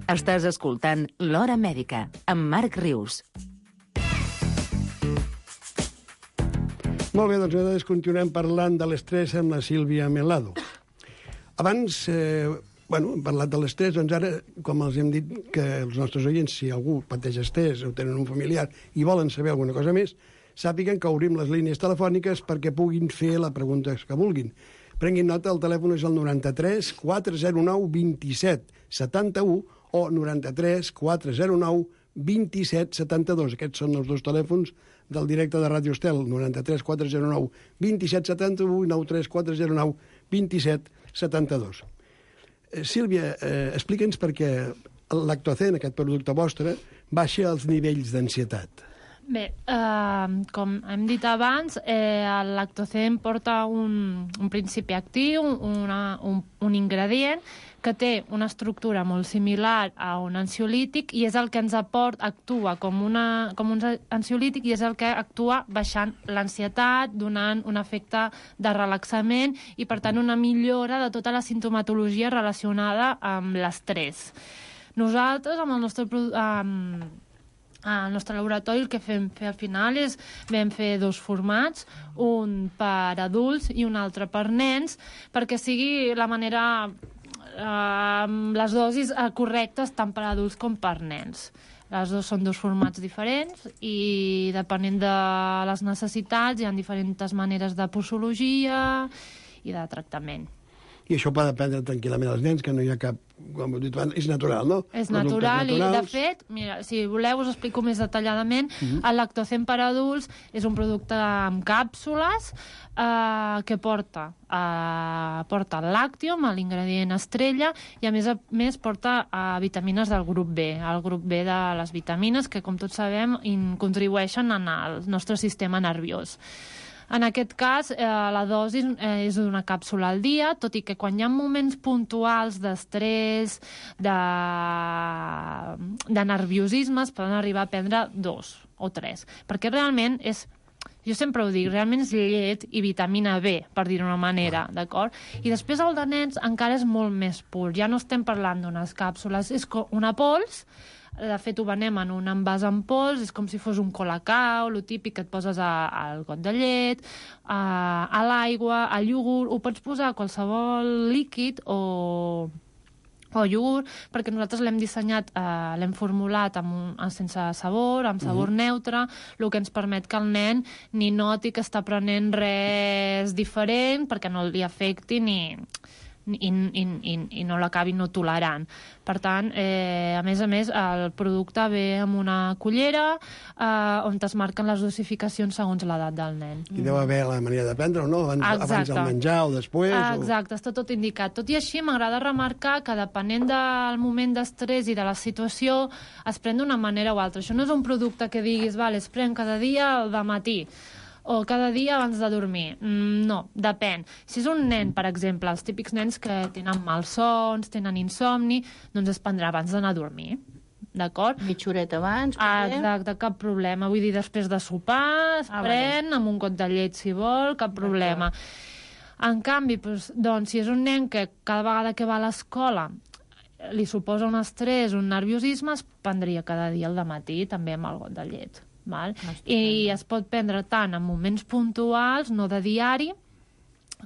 Estàs escoltant L'Hora Mèdica, amb Marc Rius. Molt bé, doncs nosaltres continuem parlant de l'estrès amb la Sílvia Melado. Abans, eh, bueno, hem parlat de l'estrès, doncs ara, com els hem dit que els nostres oients, si algú pateix estrès o tenen un familiar i volen saber alguna cosa més, sàpiguen que obrim les línies telefòniques perquè puguin fer la pregunta que vulguin. Prenguin nota, el telèfon és el noranta-tres quatre zero nou vint-i-set setanta-u o noranta-tres quatre zero nou vint-i-set setanta-dos. Aquests són els dos telèfons del directe de Ràdio Estel, noranta-tres quatre zero nou vint-i-set setanta-u i nou tres quatre zero nou vint-i-set setanta-dos. Eh, Sílvia, eh, explica'ns per què l'Actocen, aquest producte vostre, baixa els nivells d'ansietat. Bé, eh, com hem dit abans, eh, l'Actocen porta un, un principi actiu, una, un, un ingredient que té una estructura molt similar a un ansiolític i és el que ens aporta, actua com, una, com un ansiolític i és el que actua baixant l'ansietat, donant un efecte de relaxament i, per tant, una millora de tota la sintomatologia relacionada amb l'estrès. Nosaltres, amb el nostre amb, al nostre laboratori, el que fem fer al final és vam fer dos formats, un per adults i un altre per nens, perquè sigui la manera amb les dosis correctes tant per adults com per nens. Les dos són dos formats diferents i depenent de les necessitats hi ha diferents maneres de posologia i de tractament. I això poden prendre tranquil·lament els nens, que no hi ha cap... Com heu dit abans, és natural, no? És natural i, de fet, mira, si voleu us explico més detalladament, uh-huh. el Lactocen per adults és un producte amb càpsules eh, que porta, eh, porta el làctium, l'ingredient estrella, i a més a més porta eh, vitamines del grup B, el grup B de les vitamines que, com tots sabem, in, contribueixen en el nostre sistema nerviós. En aquest cas, eh, la dosi eh, és d'una càpsula al dia, tot i que quan hi ha moments puntuals d'estrès, de, de nerviosisme, es poden arribar a prendre dos o tres. Perquè realment és, jo sempre ho dic, realment és llet i vitamina B, per dir-ho d'una manera, d'acord? I després el de nens encara és molt més pur. Ja no estem parlant d'unes càpsules, és una pols. De fet, ho venem en un envàs en pols, és com si fos un colacao, lo típic que et poses a, al got de llet, a, a l'aigua, al iogurt, ho pots posar a qualsevol líquid o, o iogurt, perquè nosaltres l'hem dissenyat, eh, l'hem formulat amb un, sense sabor, amb sabor mm-hmm. neutre, el que ens permet que el nen ni noti que està prenent res diferent, perquè no li afecti ni... I, i, i, i no l'acabi no tolerant. Per tant, eh, a més a més, el producte ve amb una cullera eh, on es marquen les dosificacions segons l'edat del nen. I deu haver la manera de prendre o no? Abans, abans del menjar o després? Exacte, o... està tot indicat. Tot i així, m'agrada remarcar que depenent del moment d'estrès i de la situació, es pren d'una manera o altra. Això no és un producte que diguis, vale, es pren cada dia al dematí, o cada dia abans de dormir. Mm, no, depèn. Si és un nen, per exemple, els típics nens que tenen malsons, tenen insomni, doncs es prendrà abans d'anar a dormir. D'acord? Mitja horeta abans. Ah, exacte, cap problema. Vull dir, després de sopar, es ah, pren vale. Amb un got de llet, si vol, cap problema. En canvi, doncs, doncs, si és un nen que cada vegada que va a l'escola li suposa un estrès, un nerviosisme, es prendria cada dia al dematí, també amb el got de llet. Val? I es pot prendre tant en moments puntuals, no de diari,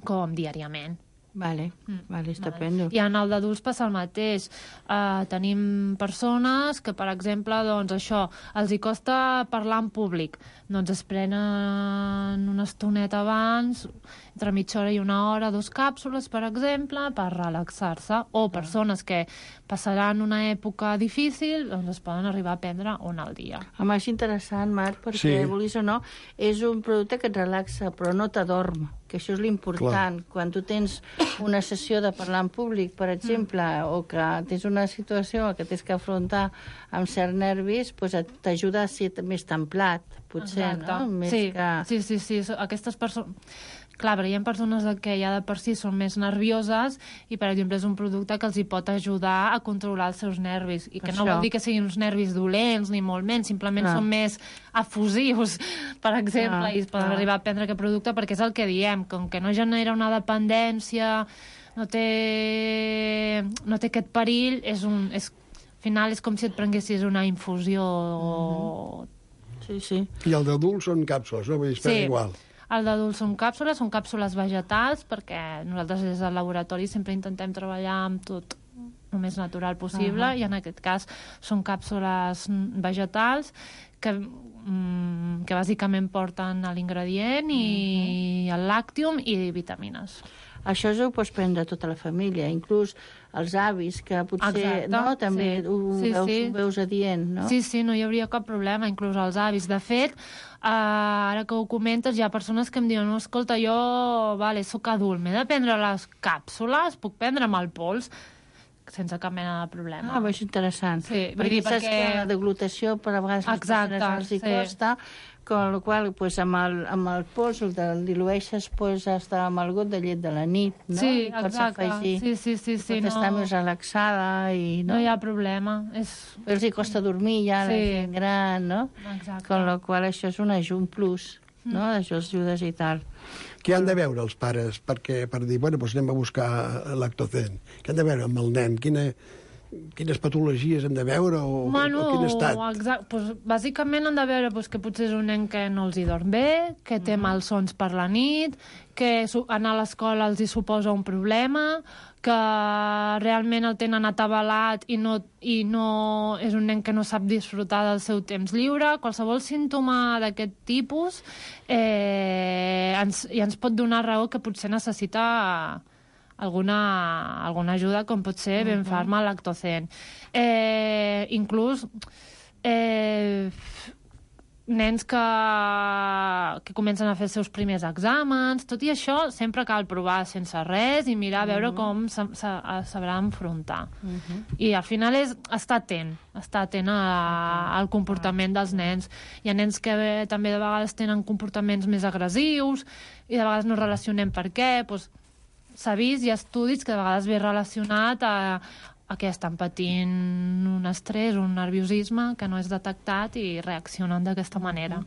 com diàriament. Vale, mm. vale, estupendo. Vale. I en el d'adults passa el mateix. Uh, tenim persones que, per exemple, doncs això, els hi costa parlar en públic. Doncs es prenen una estoneta abans, entre mitja hora i una hora, dos càpsules, per exemple, per relaxar-se. O persones que passaran una època difícil, doncs es poden arribar a prendre una al dia. Home, és interessant, Marc, perquè, sí. vulguis o no, és un producte que et relaxa, però no t'adorm, que això és l'important. Quan tu tens una sessió de parlar en públic, per exemple, mm. o que tens una situació que tens que afrontar amb certs nervis, doncs t'ajuda a ser més templat, potser, exacte. No? Més sí. que... sí, sí, sí. Aquestes persones... Clar, però hi ha persones que ja de per si són més nervioses i, per exemple, és un producte que els hi pot ajudar a controlar els seus nervis. I que no vol dir que siguin uns nervis dolents, ni molt menys, simplement ah. són més efusius, per exemple, ah. i es poden ah. arribar a prendre aquest producte perquè és el que diem, com que no genera una dependència, no té, no té aquest perill, és un... És, al final és com si et prenguessis una infusió. Mm-hmm. Sí, sí. I el d'adults són càpsules, no? Vull dir, es pren sí. igual. El d'adults són càpsules, són càpsules vegetals, perquè nosaltres des del laboratori sempre intentem treballar amb tot el més natural possible, uh-huh. i en aquest cas són càpsules vegetals que, mm, que bàsicament porten l'ingredient i uh-huh. el làctium i vitamines. Això ho pots prendre tota la família, inclús els avis, que potser exacte, no, també sí. ho, sí, veus, sí. ho veus adient, no? Sí, sí, no hi hauria cap problema, inclús els avis. De fet, uh, ara que ho comentes, hi ha persones que em diuen, no, escolta, jo vale, sóc adult, m'he de prendre les càpsules, puc prendre amb el pols, sense cap mena de problema. Ah, és interessant. Sí, perquè dir, saps perquè... que la deglutació per a vegades les exacte, persones els hi sí. costa, con la qual pues, amb, el, amb el pols el, el dilueixes pues, hasta amb el got de llet de la nit, no? Sí, I pots exacte. afegir, sí, sí, sí, sí, pots no... estar més relaxada i... No, no hi ha problema. És... Els hi costa dormir ja, sí. la gent gran, no? Exacte. Con la qual això és un, un plus, mm. no? Això els ajudes i tal. Què han de veure els pares perquè, per dir, bueno, doncs anem a buscar Lactocen? Què han de veure amb el nen? Quina... Quines patologies hem de veure o, bueno, o quin estat? Exacte. Pues, bàsicament han de veure pues, que potser és un nen que no els hi dorm bé, que té mm. malsons per la nit, que anar a l'escola els hi suposa un problema, que realment el tenen atabalat i no, i no és un nen que no sap disfrutar del seu temps lliure. Qualsevol símptoma d'aquest tipus eh, ens, i ens pot donar raó que potser necessita alguna, alguna ajuda, com pot ser Uh-huh. Benfarma Lactocen. Eh, inclús eh, nens que, que comencen a fer els seus primers exàmens, tot i això sempre cal provar sense res i mirar a veure Uh-huh. com se, se, sabrà enfrontar. Uh-huh. I al final és estar atent, estar atent a, al comportament dels nens. Hi ha nens que bé, també de vegades tenen comportaments més agressius i de vegades no relacionem per què. Doncs, s'ha vist, hi ha estudis que de vegades ve relacionat a, a que estan patint un estrès, un nerviosisme que no és detectat i reaccionen d'aquesta manera.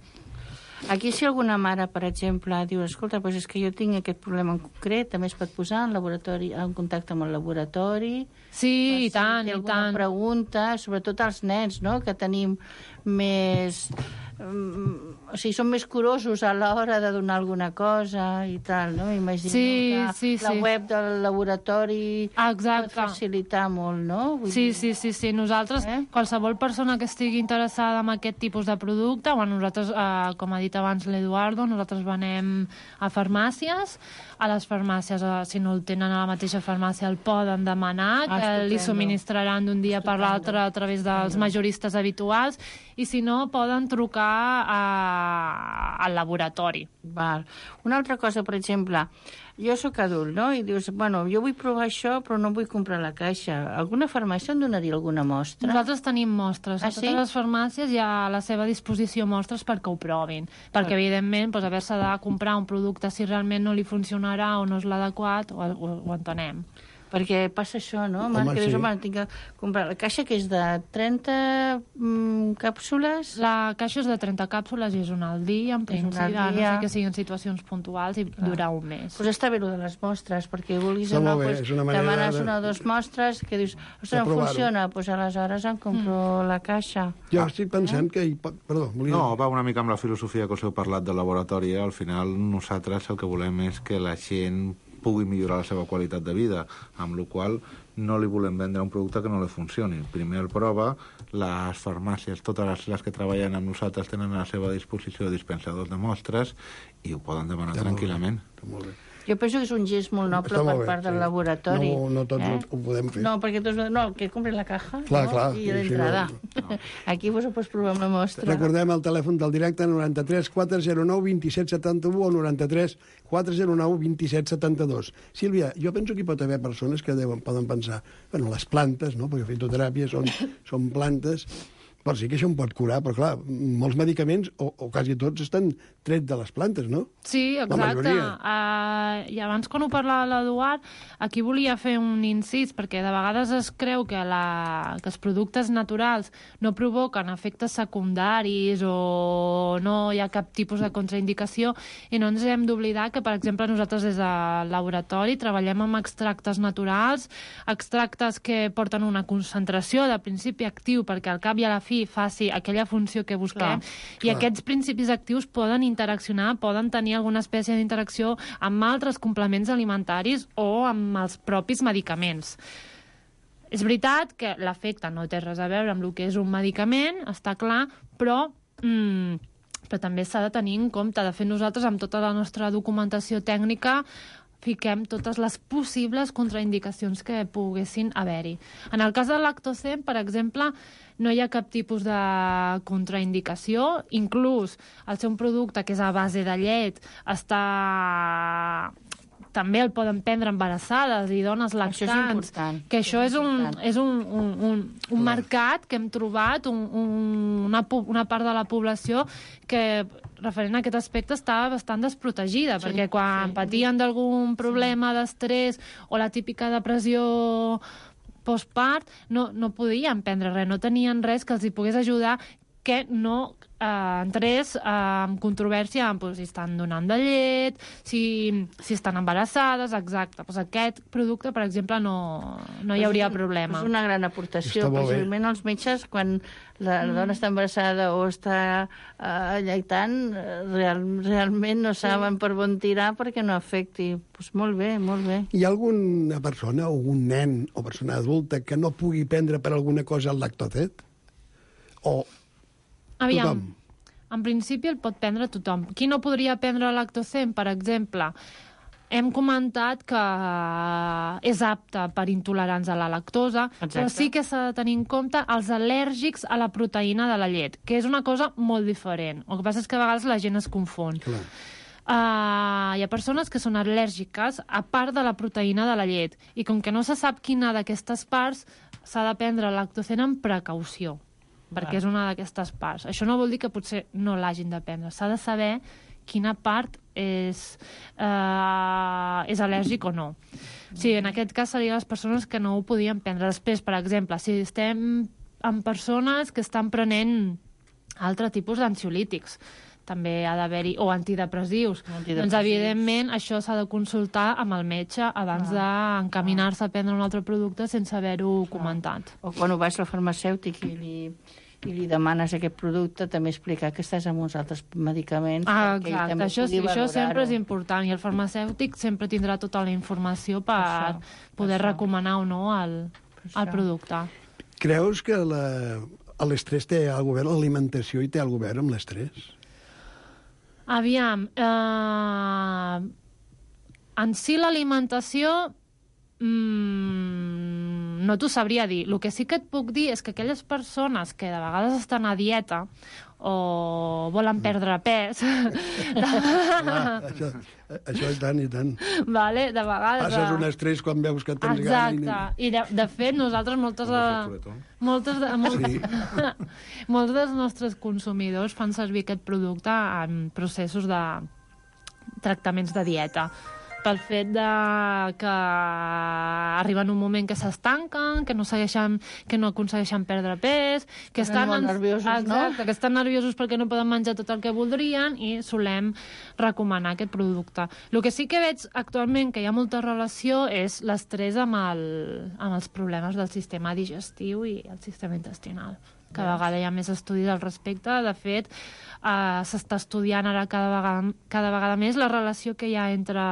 Aquí, si alguna mare, per exemple, diu, escolta, doncs és que jo tinc aquest problema en concret, també es pot posar en laboratori, en contacte amb el laboratori. Sí, i si tant, té i alguna tant. pregunta, sobretot als nens, no?, que tenim més... Um, o sigui, són més curosos a l'hora de donar alguna cosa i tal, no? Imagino Sí, que sí, la sí. web del laboratori Exacte. pot facilitar molt, no? Vull Sí, dir, sí, sí, sí. Nosaltres, Eh? qualsevol persona que estigui interessada en aquest tipus de producte, bueno, nosaltres, eh, com ha dit abans l'Eduardo, nosaltres venem a farmàcies, a les farmàcies, eh, si no el tenen a la mateixa farmàcia, el poden demanar, Ah, que li estupendo. subministraran d'un dia per l'altre a través dels majoristes habituals, i si no, poden trucar a, al laboratori. Val. Una altra cosa, per exemple, jo sóc adult, no?, i dius, bueno, jo vull provar això, però no vull comprar la caixa. Alguna farmàcia em donaria alguna mostra? Nosaltres tenim mostres. Ah, A sí? totes les farmàcies hi ha a la seva disposició mostres perquè ho provin. Perquè, evidentment, doncs, haver-se de comprar un producte si realment no li funcionarà o no és l'adequat, ho, ho, ho entenem. Perquè passa això, no? Home, Marc, que dius, sí. home, tinc que comprar la caixa, que és de trenta mm, càpsules. La caixa és de trenta càpsules i és una al dia, en És una principi, al a no dia. sé que siguin situacions puntuals i durar un mes. Doncs està bé, allò de les mostres, perquè vulguis Està o no, molt bé, pues, és una manera demanes de- una o dues mostres que dius, ostres, no provar-ho. funciona, doncs aleshores em compro Mm. la caixa. Jo estic pensant que... Hi pot... Perdó, volia... No, va una mica amb la filosofia que us heu parlat del laboratori. Al final, nosaltres el que volem és que la gent pugui millorar la seva qualitat de vida, amb la qual no li volem vendre un producte que no li funcioni. Primer el prova, les farmàcies, totes les, les que treballen amb nosaltres tenen a la seva disposició dispensadors de mostres i ho poden demanar Està molt bé, tranquil·lament. està molt bé. Jo penso que és un gest molt noble Està molt per bé, part del sí. laboratori. No, no tots eh? ho, ho podem fer. No, perquè tots... No, que compri la caja, Clar, no? clar, I i si d'entrada. no- Aquí vos ho pots provar amb la mostra. Recordem el telèfon del directe noranta-tres quatre zero nou vint set setanta-u o noranta-tres quatre zero nou vint set setanta-dos. Sílvia, jo penso que hi pot haver persones que deuen, poden pensar, bueno, les plantes, no?, perquè fitoteràpia són, són plantes, però sí que això em pot curar, però clar, molts medicaments, o, o quasi tots, estan trets de les plantes, no? Sí, La exacte. majoria. Uh, I abans, quan ho parlava l'Eduard, aquí volia fer un incís, perquè de vegades es creu que, la, que els productes naturals no provoquen efectes secundaris o no hi ha cap tipus de contraindicació, i no ens hem d'oblidar que, per exemple, nosaltres des del laboratori treballem amb extractes naturals, extractes que porten una concentració de principi actiu perquè al cap i a la fi faci aquella funció que busquem, Clar, i clar. aquests principis actius poden interaccionar, poden tenir alguna espècie d'interacció amb altres complements alimentaris o amb els propis medicaments. És veritat que l'efecte no té res a veure amb el que és un medicament, està clar, però, mm, però també s'ha de tenir en compte. De fet, nosaltres, amb tota la nostra documentació tècnica, fiquem totes les possibles contraindicacions que poguessin haver-hi. En el cas del Lactocen, per exemple, no hi ha cap tipus de contraindicació. Inclús el ser un producte que és a base de llet està... també el poden prendre embarassades i dones Això és lactants. important. Que això és un, important. és un, un, un, un mercat que hem trobat, un, un, una, pu- una part de la població que, referent a aquest aspecte, està bastant desprotegida, Sí, perquè quan sí. patien d'algun problema d'estrès o la típica depressió postpart, no, no podien prendre res, no tenien res que els hi pogués ajudar que no eh, entrés eh, en controvèrsia amb pues, si estan donant de llet, si, si estan embarassades, exacte. Pues aquest producte, per exemple, no, no hi hauria problema. És una gran aportació. Està molt bé. Precisament els metges, quan la, la dona està embarassada o està uh, lleitant, eh, real, realment no saben per on tirar perquè no afecti. Pues molt bé, molt bé. Hi ha alguna persona, o un nen o persona adulta que no pugui prendre per alguna cosa el lactocet? O Aviam, tothom? en principi el pot prendre tothom. Qui no podria prendre Lactocen, per exemple? hem comentat que és apte per intolerants a la lactosa, Exacte. però sí que s'ha de tenir en compte els al·lèrgics a la proteïna de la llet, que és una cosa molt diferent. El que passa és que a vegades la gent es confon. Clar. Uh, hi ha persones que són al·lèrgiques a part de la proteïna de la llet, i com que no se sap quina d'aquestes parts, s'ha de prendre el lactocen amb precaució, perquè és una d'aquestes parts. Això no vol dir que potser no l'hagin de prendre, s'ha de saber quina part és, uh, és al·lèrgic o no. Sí, en aquest cas serien les persones que no ho podien prendre. Després, per exemple, si estem amb persones que estan prenent altre tipus d'ansiolítics, també ha d'haver-hi, o antidepressius. antidepressius. Doncs, evidentment, això s'ha de consultar amb el metge abans ah. d'encaminar-se a prendre un altre producte sense haver-ho comentat. O quan ho vas al farmacèutic i li, i li demanes aquest producte, també explicar que estàs amb uns altres medicaments. Ah, exacte, això, sí, això sempre és important, i el farmacèutic sempre tindrà tota la informació per això, poder això. recomanar o no el, el producte. Creus que l'estrès té alguna cosa a veure, l'alimentació i té alguna cosa a veure amb l'estrès? Aviam, eh, en si l'alimentació mmm, no t'ho sabria dir. El que sí que et puc dir és que aquelles persones que de vegades estan a dieta o volen perdre pes... Clar, això, això i tant, i tant. Vale, de vegades... Passes un estrès quan veus que tens gana. Exacte. I de, de fet, nosaltres moltes de... Moltes de, molt, sí. molts dels nostres consumidors fan servir aquest producte en processos de tractaments de dieta, pel fet de que arriben un moment que s'estanquen, que no segueixen, que no aconsegueixen perdre pes, que estan, molt nerviosos, exacte, no? que estan nerviosos perquè no poden menjar tot el que voldrien, i solem recomanar aquest producte. El que sí que veig actualment que hi ha molta relació és l'estrès amb, el, amb els problemes del sistema digestiu i el sistema intestinal. Cada vegada hi ha més estudis al respecte. De fet, eh, s'està estudiant ara cada vegada, cada vegada més la relació que hi ha entre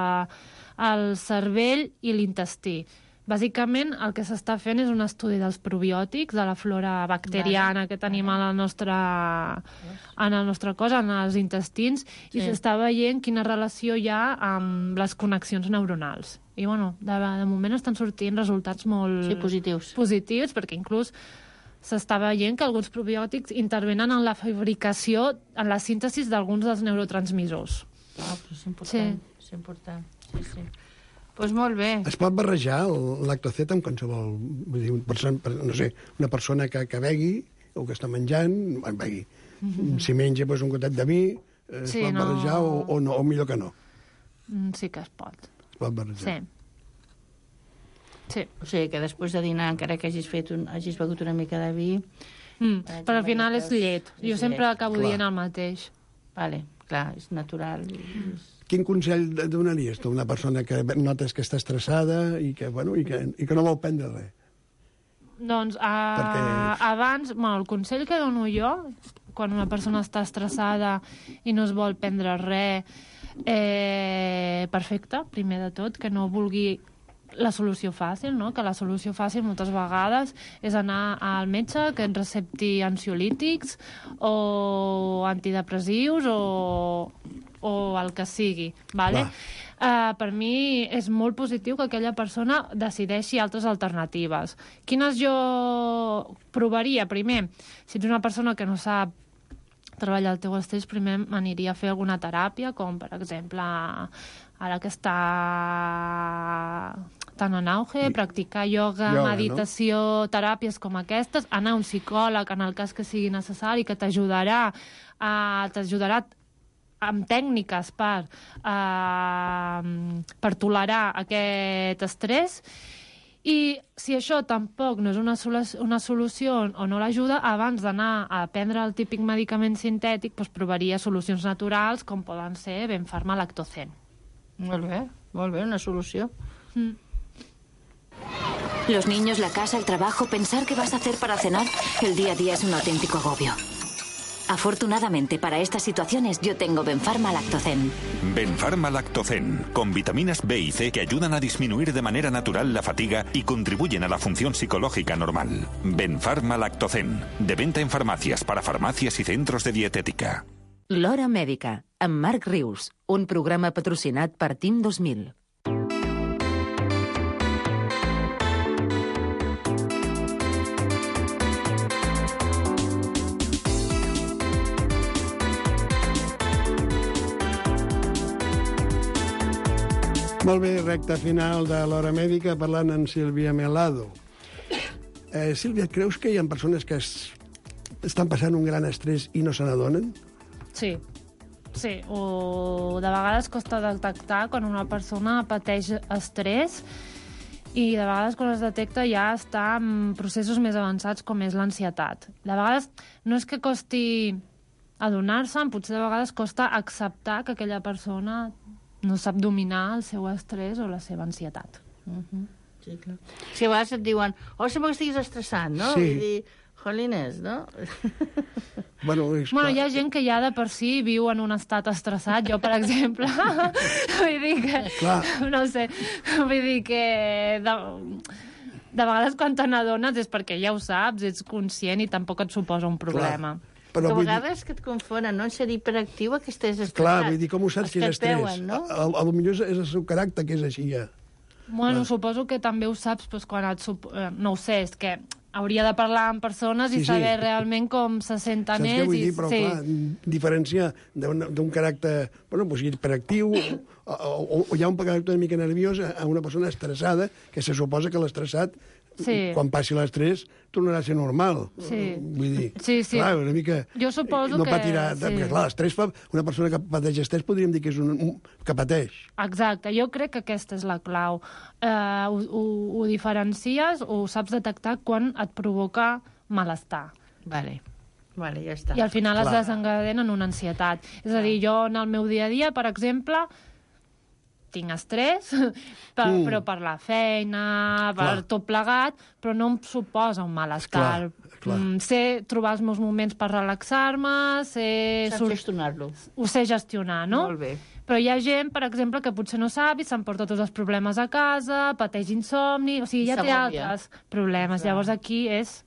el cervell i l'intestí. Bàsicament, el que s'està fent és un estudi dels probiòtics, de la flora bacteriana que tenim en el nostre, en el nostre cos, en els intestins, sí. I s'està veient quina relació hi ha amb les connexions neuronals. I, bueno, de, de moment estan sortint resultats molt sí, positius. positius, perquè inclús s'està veient que alguns probiòtics intervenen en la fabricació, en la síntesi d'alguns dels neurotransmissors. Ah, però és important. Sí. És important. Sí, sí. Pues molt bé. Es pot barrejar el lactocet amb qualsevol... Vull dir, persona, no sé, una persona que, que begui o que està menjant, begui. Mm-hmm. Si menja pues, un gotet de vi, es sí, pot no... barrejar o, o, no, o millor que no. Sí que es pot. Es pot barrejar. Sí. Sí. O sigui, que després de dinar, encara que hagis, fet un, hagis begut una mica de vi... Mm, però al final és llet. Jo és sempre llet. acabo Clar. dient el mateix. Vale, clar, és natural. És... Quin consell donaries tu a una persona que notes que està estressada i que, bueno, i que, i que no vol prendre res? Doncs a... Perquè... abans, bueno, el consell que dono jo, quan una persona està estressada i no es vol prendre res, eh, perfecte, primer de tot, que no vulgui la solució fàcil, no? Que la solució fàcil moltes vegades és anar al metge que ens recepti ansiolítics o antidepressius o, o el que sigui, vale? Uh, per mi és molt positiu que aquella persona decideixi altres alternatives. Quines jo provaria? Primer, si ets una persona que no sap treballar el teu estrès, primer m'aniria a fer alguna teràpia, com per exemple ara que està tan en auge, practicar ioga, ioga meditació, no? Teràpies com aquestes, anar a un psicòleg en el cas que sigui necessari, que t'ajudarà a, t'ajudarà amb tècniques per, uh, per tolerar aquest estrès. I si això tampoc no és una, solu una solució o no l'ajuda, abans d'anar a prendre el típic medicament sintètic, doncs provaria solucions naturals com poden ser Benfarma Lactocen. Molt bé, molt bé, una solució. Mm. Los niños, la casa, el trabajo, pensar qué vas a hacer para cenar, el día a día es un auténtico agobio. Afortunadamente para estas situaciones yo tengo Benfarma Lactocen. Benfarma Lactocen, con vitaminas B y C que ayudan a disminuir de manera natural la fatiga y contribuyen a la función psicológica normal. Benfarma Lactocen, de venta en farmacias, para farmacias y centros de dietética. L'Hora Mèdica, amb Marc Rius, un programa patrocinat per Team dos mil. Molt bé, recta final de l'Hora Mèdica parlant amb Sílvia Melado. Eh, Sílvia, creus que hi ha persones que es, estan passant un gran estrès i no se n'adonen? Sí. Sí, o de vegades costa detectar quan una persona pateix estrès i de vegades quan es detecta ja està en processos més avançats com és l'ansietat. De vegades no és que costi adonar-se'n, potser de vegades costa acceptar que aquella persona no sap dominar el seu estrès o la seva ansietat. Uh-huh. Sí, clar. Si a vegades et diuen, oh, sembla que estiguis estressat, no? Sí. Vull dir, jolines, no? Bueno, és Bueno, clar. hi ha gent que ja de per si viu en un estat estressat. Jo, per exemple, vull dir que... Clar. No sé, vull dir que... De, de vegades quan te n'adones és perquè ja ho saps, ets conscient i tampoc et suposa un problema. Però Però a vull dir- vegades que et confonen, no? En ser hiperactiu a que estàs estressat. Clar, vull dir, com ho saps Els que és et estrès? veuen, no? A, a, a lo millor és, és el seu caràcter que és així, ja. Bueno, suposo que també ho saps doncs, quan et... Sup... eh, No ho sé, és que hauria de parlar amb persones Sí, i sí. saber realment com se senten Saps què ells. vull i... dir? Però, sí. clar, diferenciar d'un d'un caràcter, bueno, doncs, hiperactiu, o, o, o hi ha un caràcter una mica nerviós a a una persona estressada, que se suposa que l'estressat, Sí. quan passi l'estrès, tornarà a ser normal. Sí. Vull dir, Sí, sí. clar, una mica... Jo suposo no que- patirà, sí. perquè, clar, l'estrès fa... Una persona que pateix estrès podríem dir que és un, un que pateix. Exacte, jo crec que aquesta és la clau. Eh, ho, ho, ho diferencies o ho saps detectar quan et provoca malestar. Vale, vale, ja està. I al final es Clar. desencadena en una ansietat. És a dir, jo en el meu dia a dia, per exemple, tinc estrès, per, Mm. però per la feina, per Clar. tot plegat, però no em suposa un malestar. Clar, clar. Mm, sé trobar els meus moments per relaxar-me, sé... Saps sur- gestionar-lo. Ho sé gestionar, no? Molt bé. Però hi ha gent, per exemple, que potser no sap i s'emporta tots els problemes a casa, pateix insomni, o sigui, I ja té s'agòbia. altres problemes. Llavors aquí és...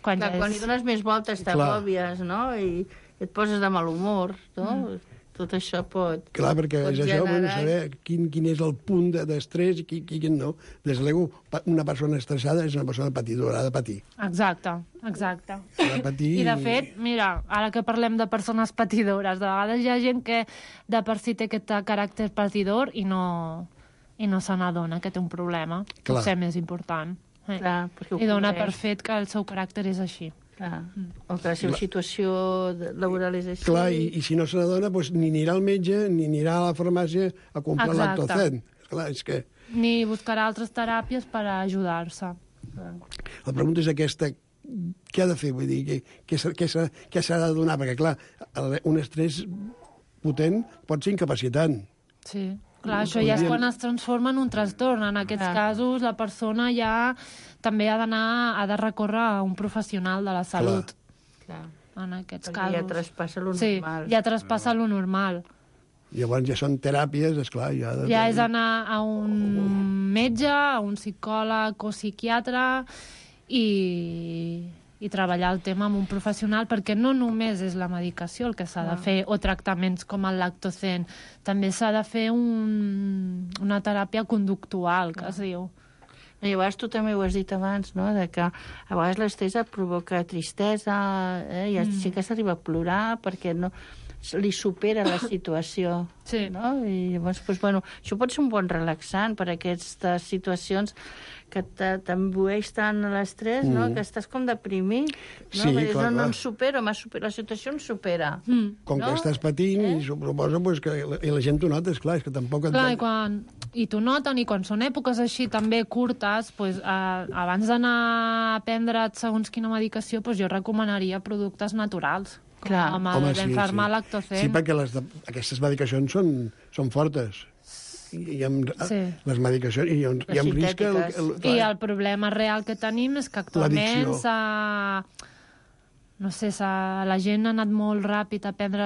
Quan Clar, ja quan hi és... dones més voltes Clar. t'agòbies, no? I et poses de mal humor, no? Mm. Tot això pot... Clar, perquè pot és això, bueno, generar- saber quin, quin és el punt de- d'estrès i qui, qui, quin no. Des de luego, pa- una persona estressada és una persona patidora, ha de patir. Exacte, exacte. Ha de patir... I, de fet, mira, ara que parlem de persones patidores, de vegades hi ha gent que de per si té aquest caràcter patidor i no, i no se n'adona que té un problema, Clar. potser més important. Eh? Clar, perquè ho I dona cobreix. per fet que el seu caràcter és així. Clar. O que la seva situació de- laboral és així. Clar, i, i si no se n'adona, doncs, ni anirà al metge, ni anirà a la farmàcia a comprar Exacte. lactocen. Clar, és que Ni buscarà altres teràpies per a ajudar-se. la pregunta és aquesta, què ha de fer? Vull dir, què, què, s'ha- què, s'ha- què s'ha de donar? Perquè, clar, el- un estrès potent pot ser incapacitant. Sí. Clar, això ja és Podríem- quan es transforma en un trastorn. En aquests Clar. casos, la persona ja també ha d'anar, ha de recórrer a un professional de la salut. Clar. En aquests Perquè casos. ja traspassa lo sí, normal. ja traspassa lo normal. Llavors ja són teràpies, esclar, ja... Ha de, Ja és anar a un metge, a un psicòleg o psiquiatre i, i treballar el tema amb un professional, perquè no només és la medicació el que s'ha de fer, o tractaments com el lactocen, també s'ha de fer un, una teràpia conductual, que es diu. I llavors tu també ho has dit abans, no?, de que a vegades l'estrès et provoca tristesa, eh? I mm. sí que s'arriba a plorar perquè no li supera la situació. Sí. No? I llavors, doncs, bueno, això pot ser un bon relaxant per a aquestes situacions que te- t'embueix tant l'estrès, mm. no?, que estàs com deprimit. No? Sí, Perquè clar, no, no clar. em supero, m'ha supera, la situació em supera. Mm. Com no? que estàs patint, Eh? i suposa pues, que la, i la gent t'ho nota, esclar, és que tampoc... Et... Clar, i, quan, i t'ho noten, i quan són èpoques així també curtes, pues, eh, abans d'anar a prendre segons quina medicació, pues, jo recomanaria productes naturals, com Clar. el Home, Benfarma lactocen. Sí, perquè les de, aquestes medicacions són, són fortes. I, i amb, Sí. les medicacions... I, amb- i amb risc... El, el, I el problema real que tenim és que actualment L'addicció. s'ha... No sé, s'ha- la gent ha anat molt ràpid a prendre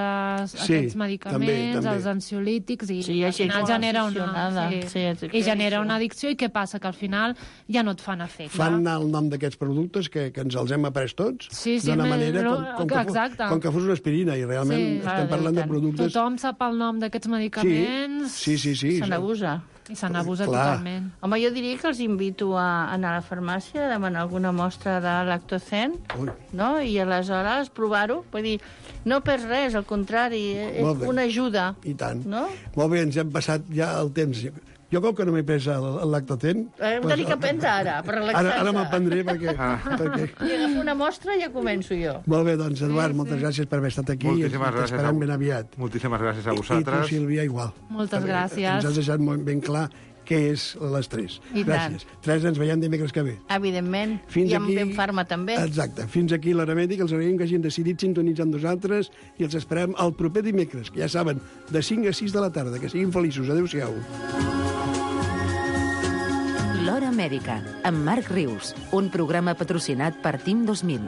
Sí, aquests medicaments, també, també. els ansiolítics, i Sí, hi ha al gent final molt genera una... aficionada. Sí, Sí, és I genera això. una addicció, i què passa? Que al final ja no et fan efecte. fan anar el nom d'aquests productes que, que ens els hem après tots Sí, sí, d'una me- manera no, com, com, que fos, exacte. com que fos una aspirina i realment Sí, estem clar, parlant de tant. productes... Tothom sap el nom d'aquests medicaments Sí, sí, sí. Se n'abusa. i se n'abusa Clar. totalment. Home, jo diria que els invito a anar a la farmàcia a demanar alguna mostra de lactocen, Ui. no? I aleshores provar-ho. Vull dir, no perds res, al contrari, és Molt bé. una ajuda. I tant. No? Molt bé, ens hem passat ja el temps. Jo, com que no m'he pres el, el Lactocen... Hem de tenir que prendre ara, per relaxar-se. Ara, ara me'l prendré perquè... Ah. perquè... I agafo una mostra i ja començo jo. Molt bé, doncs, Eduard, sí, moltes sí. gràcies per haver estat aquí. Moltíssimes i t'esperem ben aviat. Moltíssimes gràcies a vosaltres. I tu, Sílvia, igual. Moltes perquè gràcies. Ens has deixat molt ben clar què és l'estrès. I gràcies. tant. Teresa, ens veiem dimecres que ve. Evidentment. Fins I amb aquí... Benfarma també. Exacte. Fins aquí l'Hora Mèdica. Els agraïm que hagin decidit sintonitzar amb nosaltres i els esperem el proper dimecres, que ja saben, de cinc a sis de la tarda. Que siguin feliços. Adéu-siau. L'Hora Mèdica, amb Marc Rius, un programa patrocinat per Team dos mil.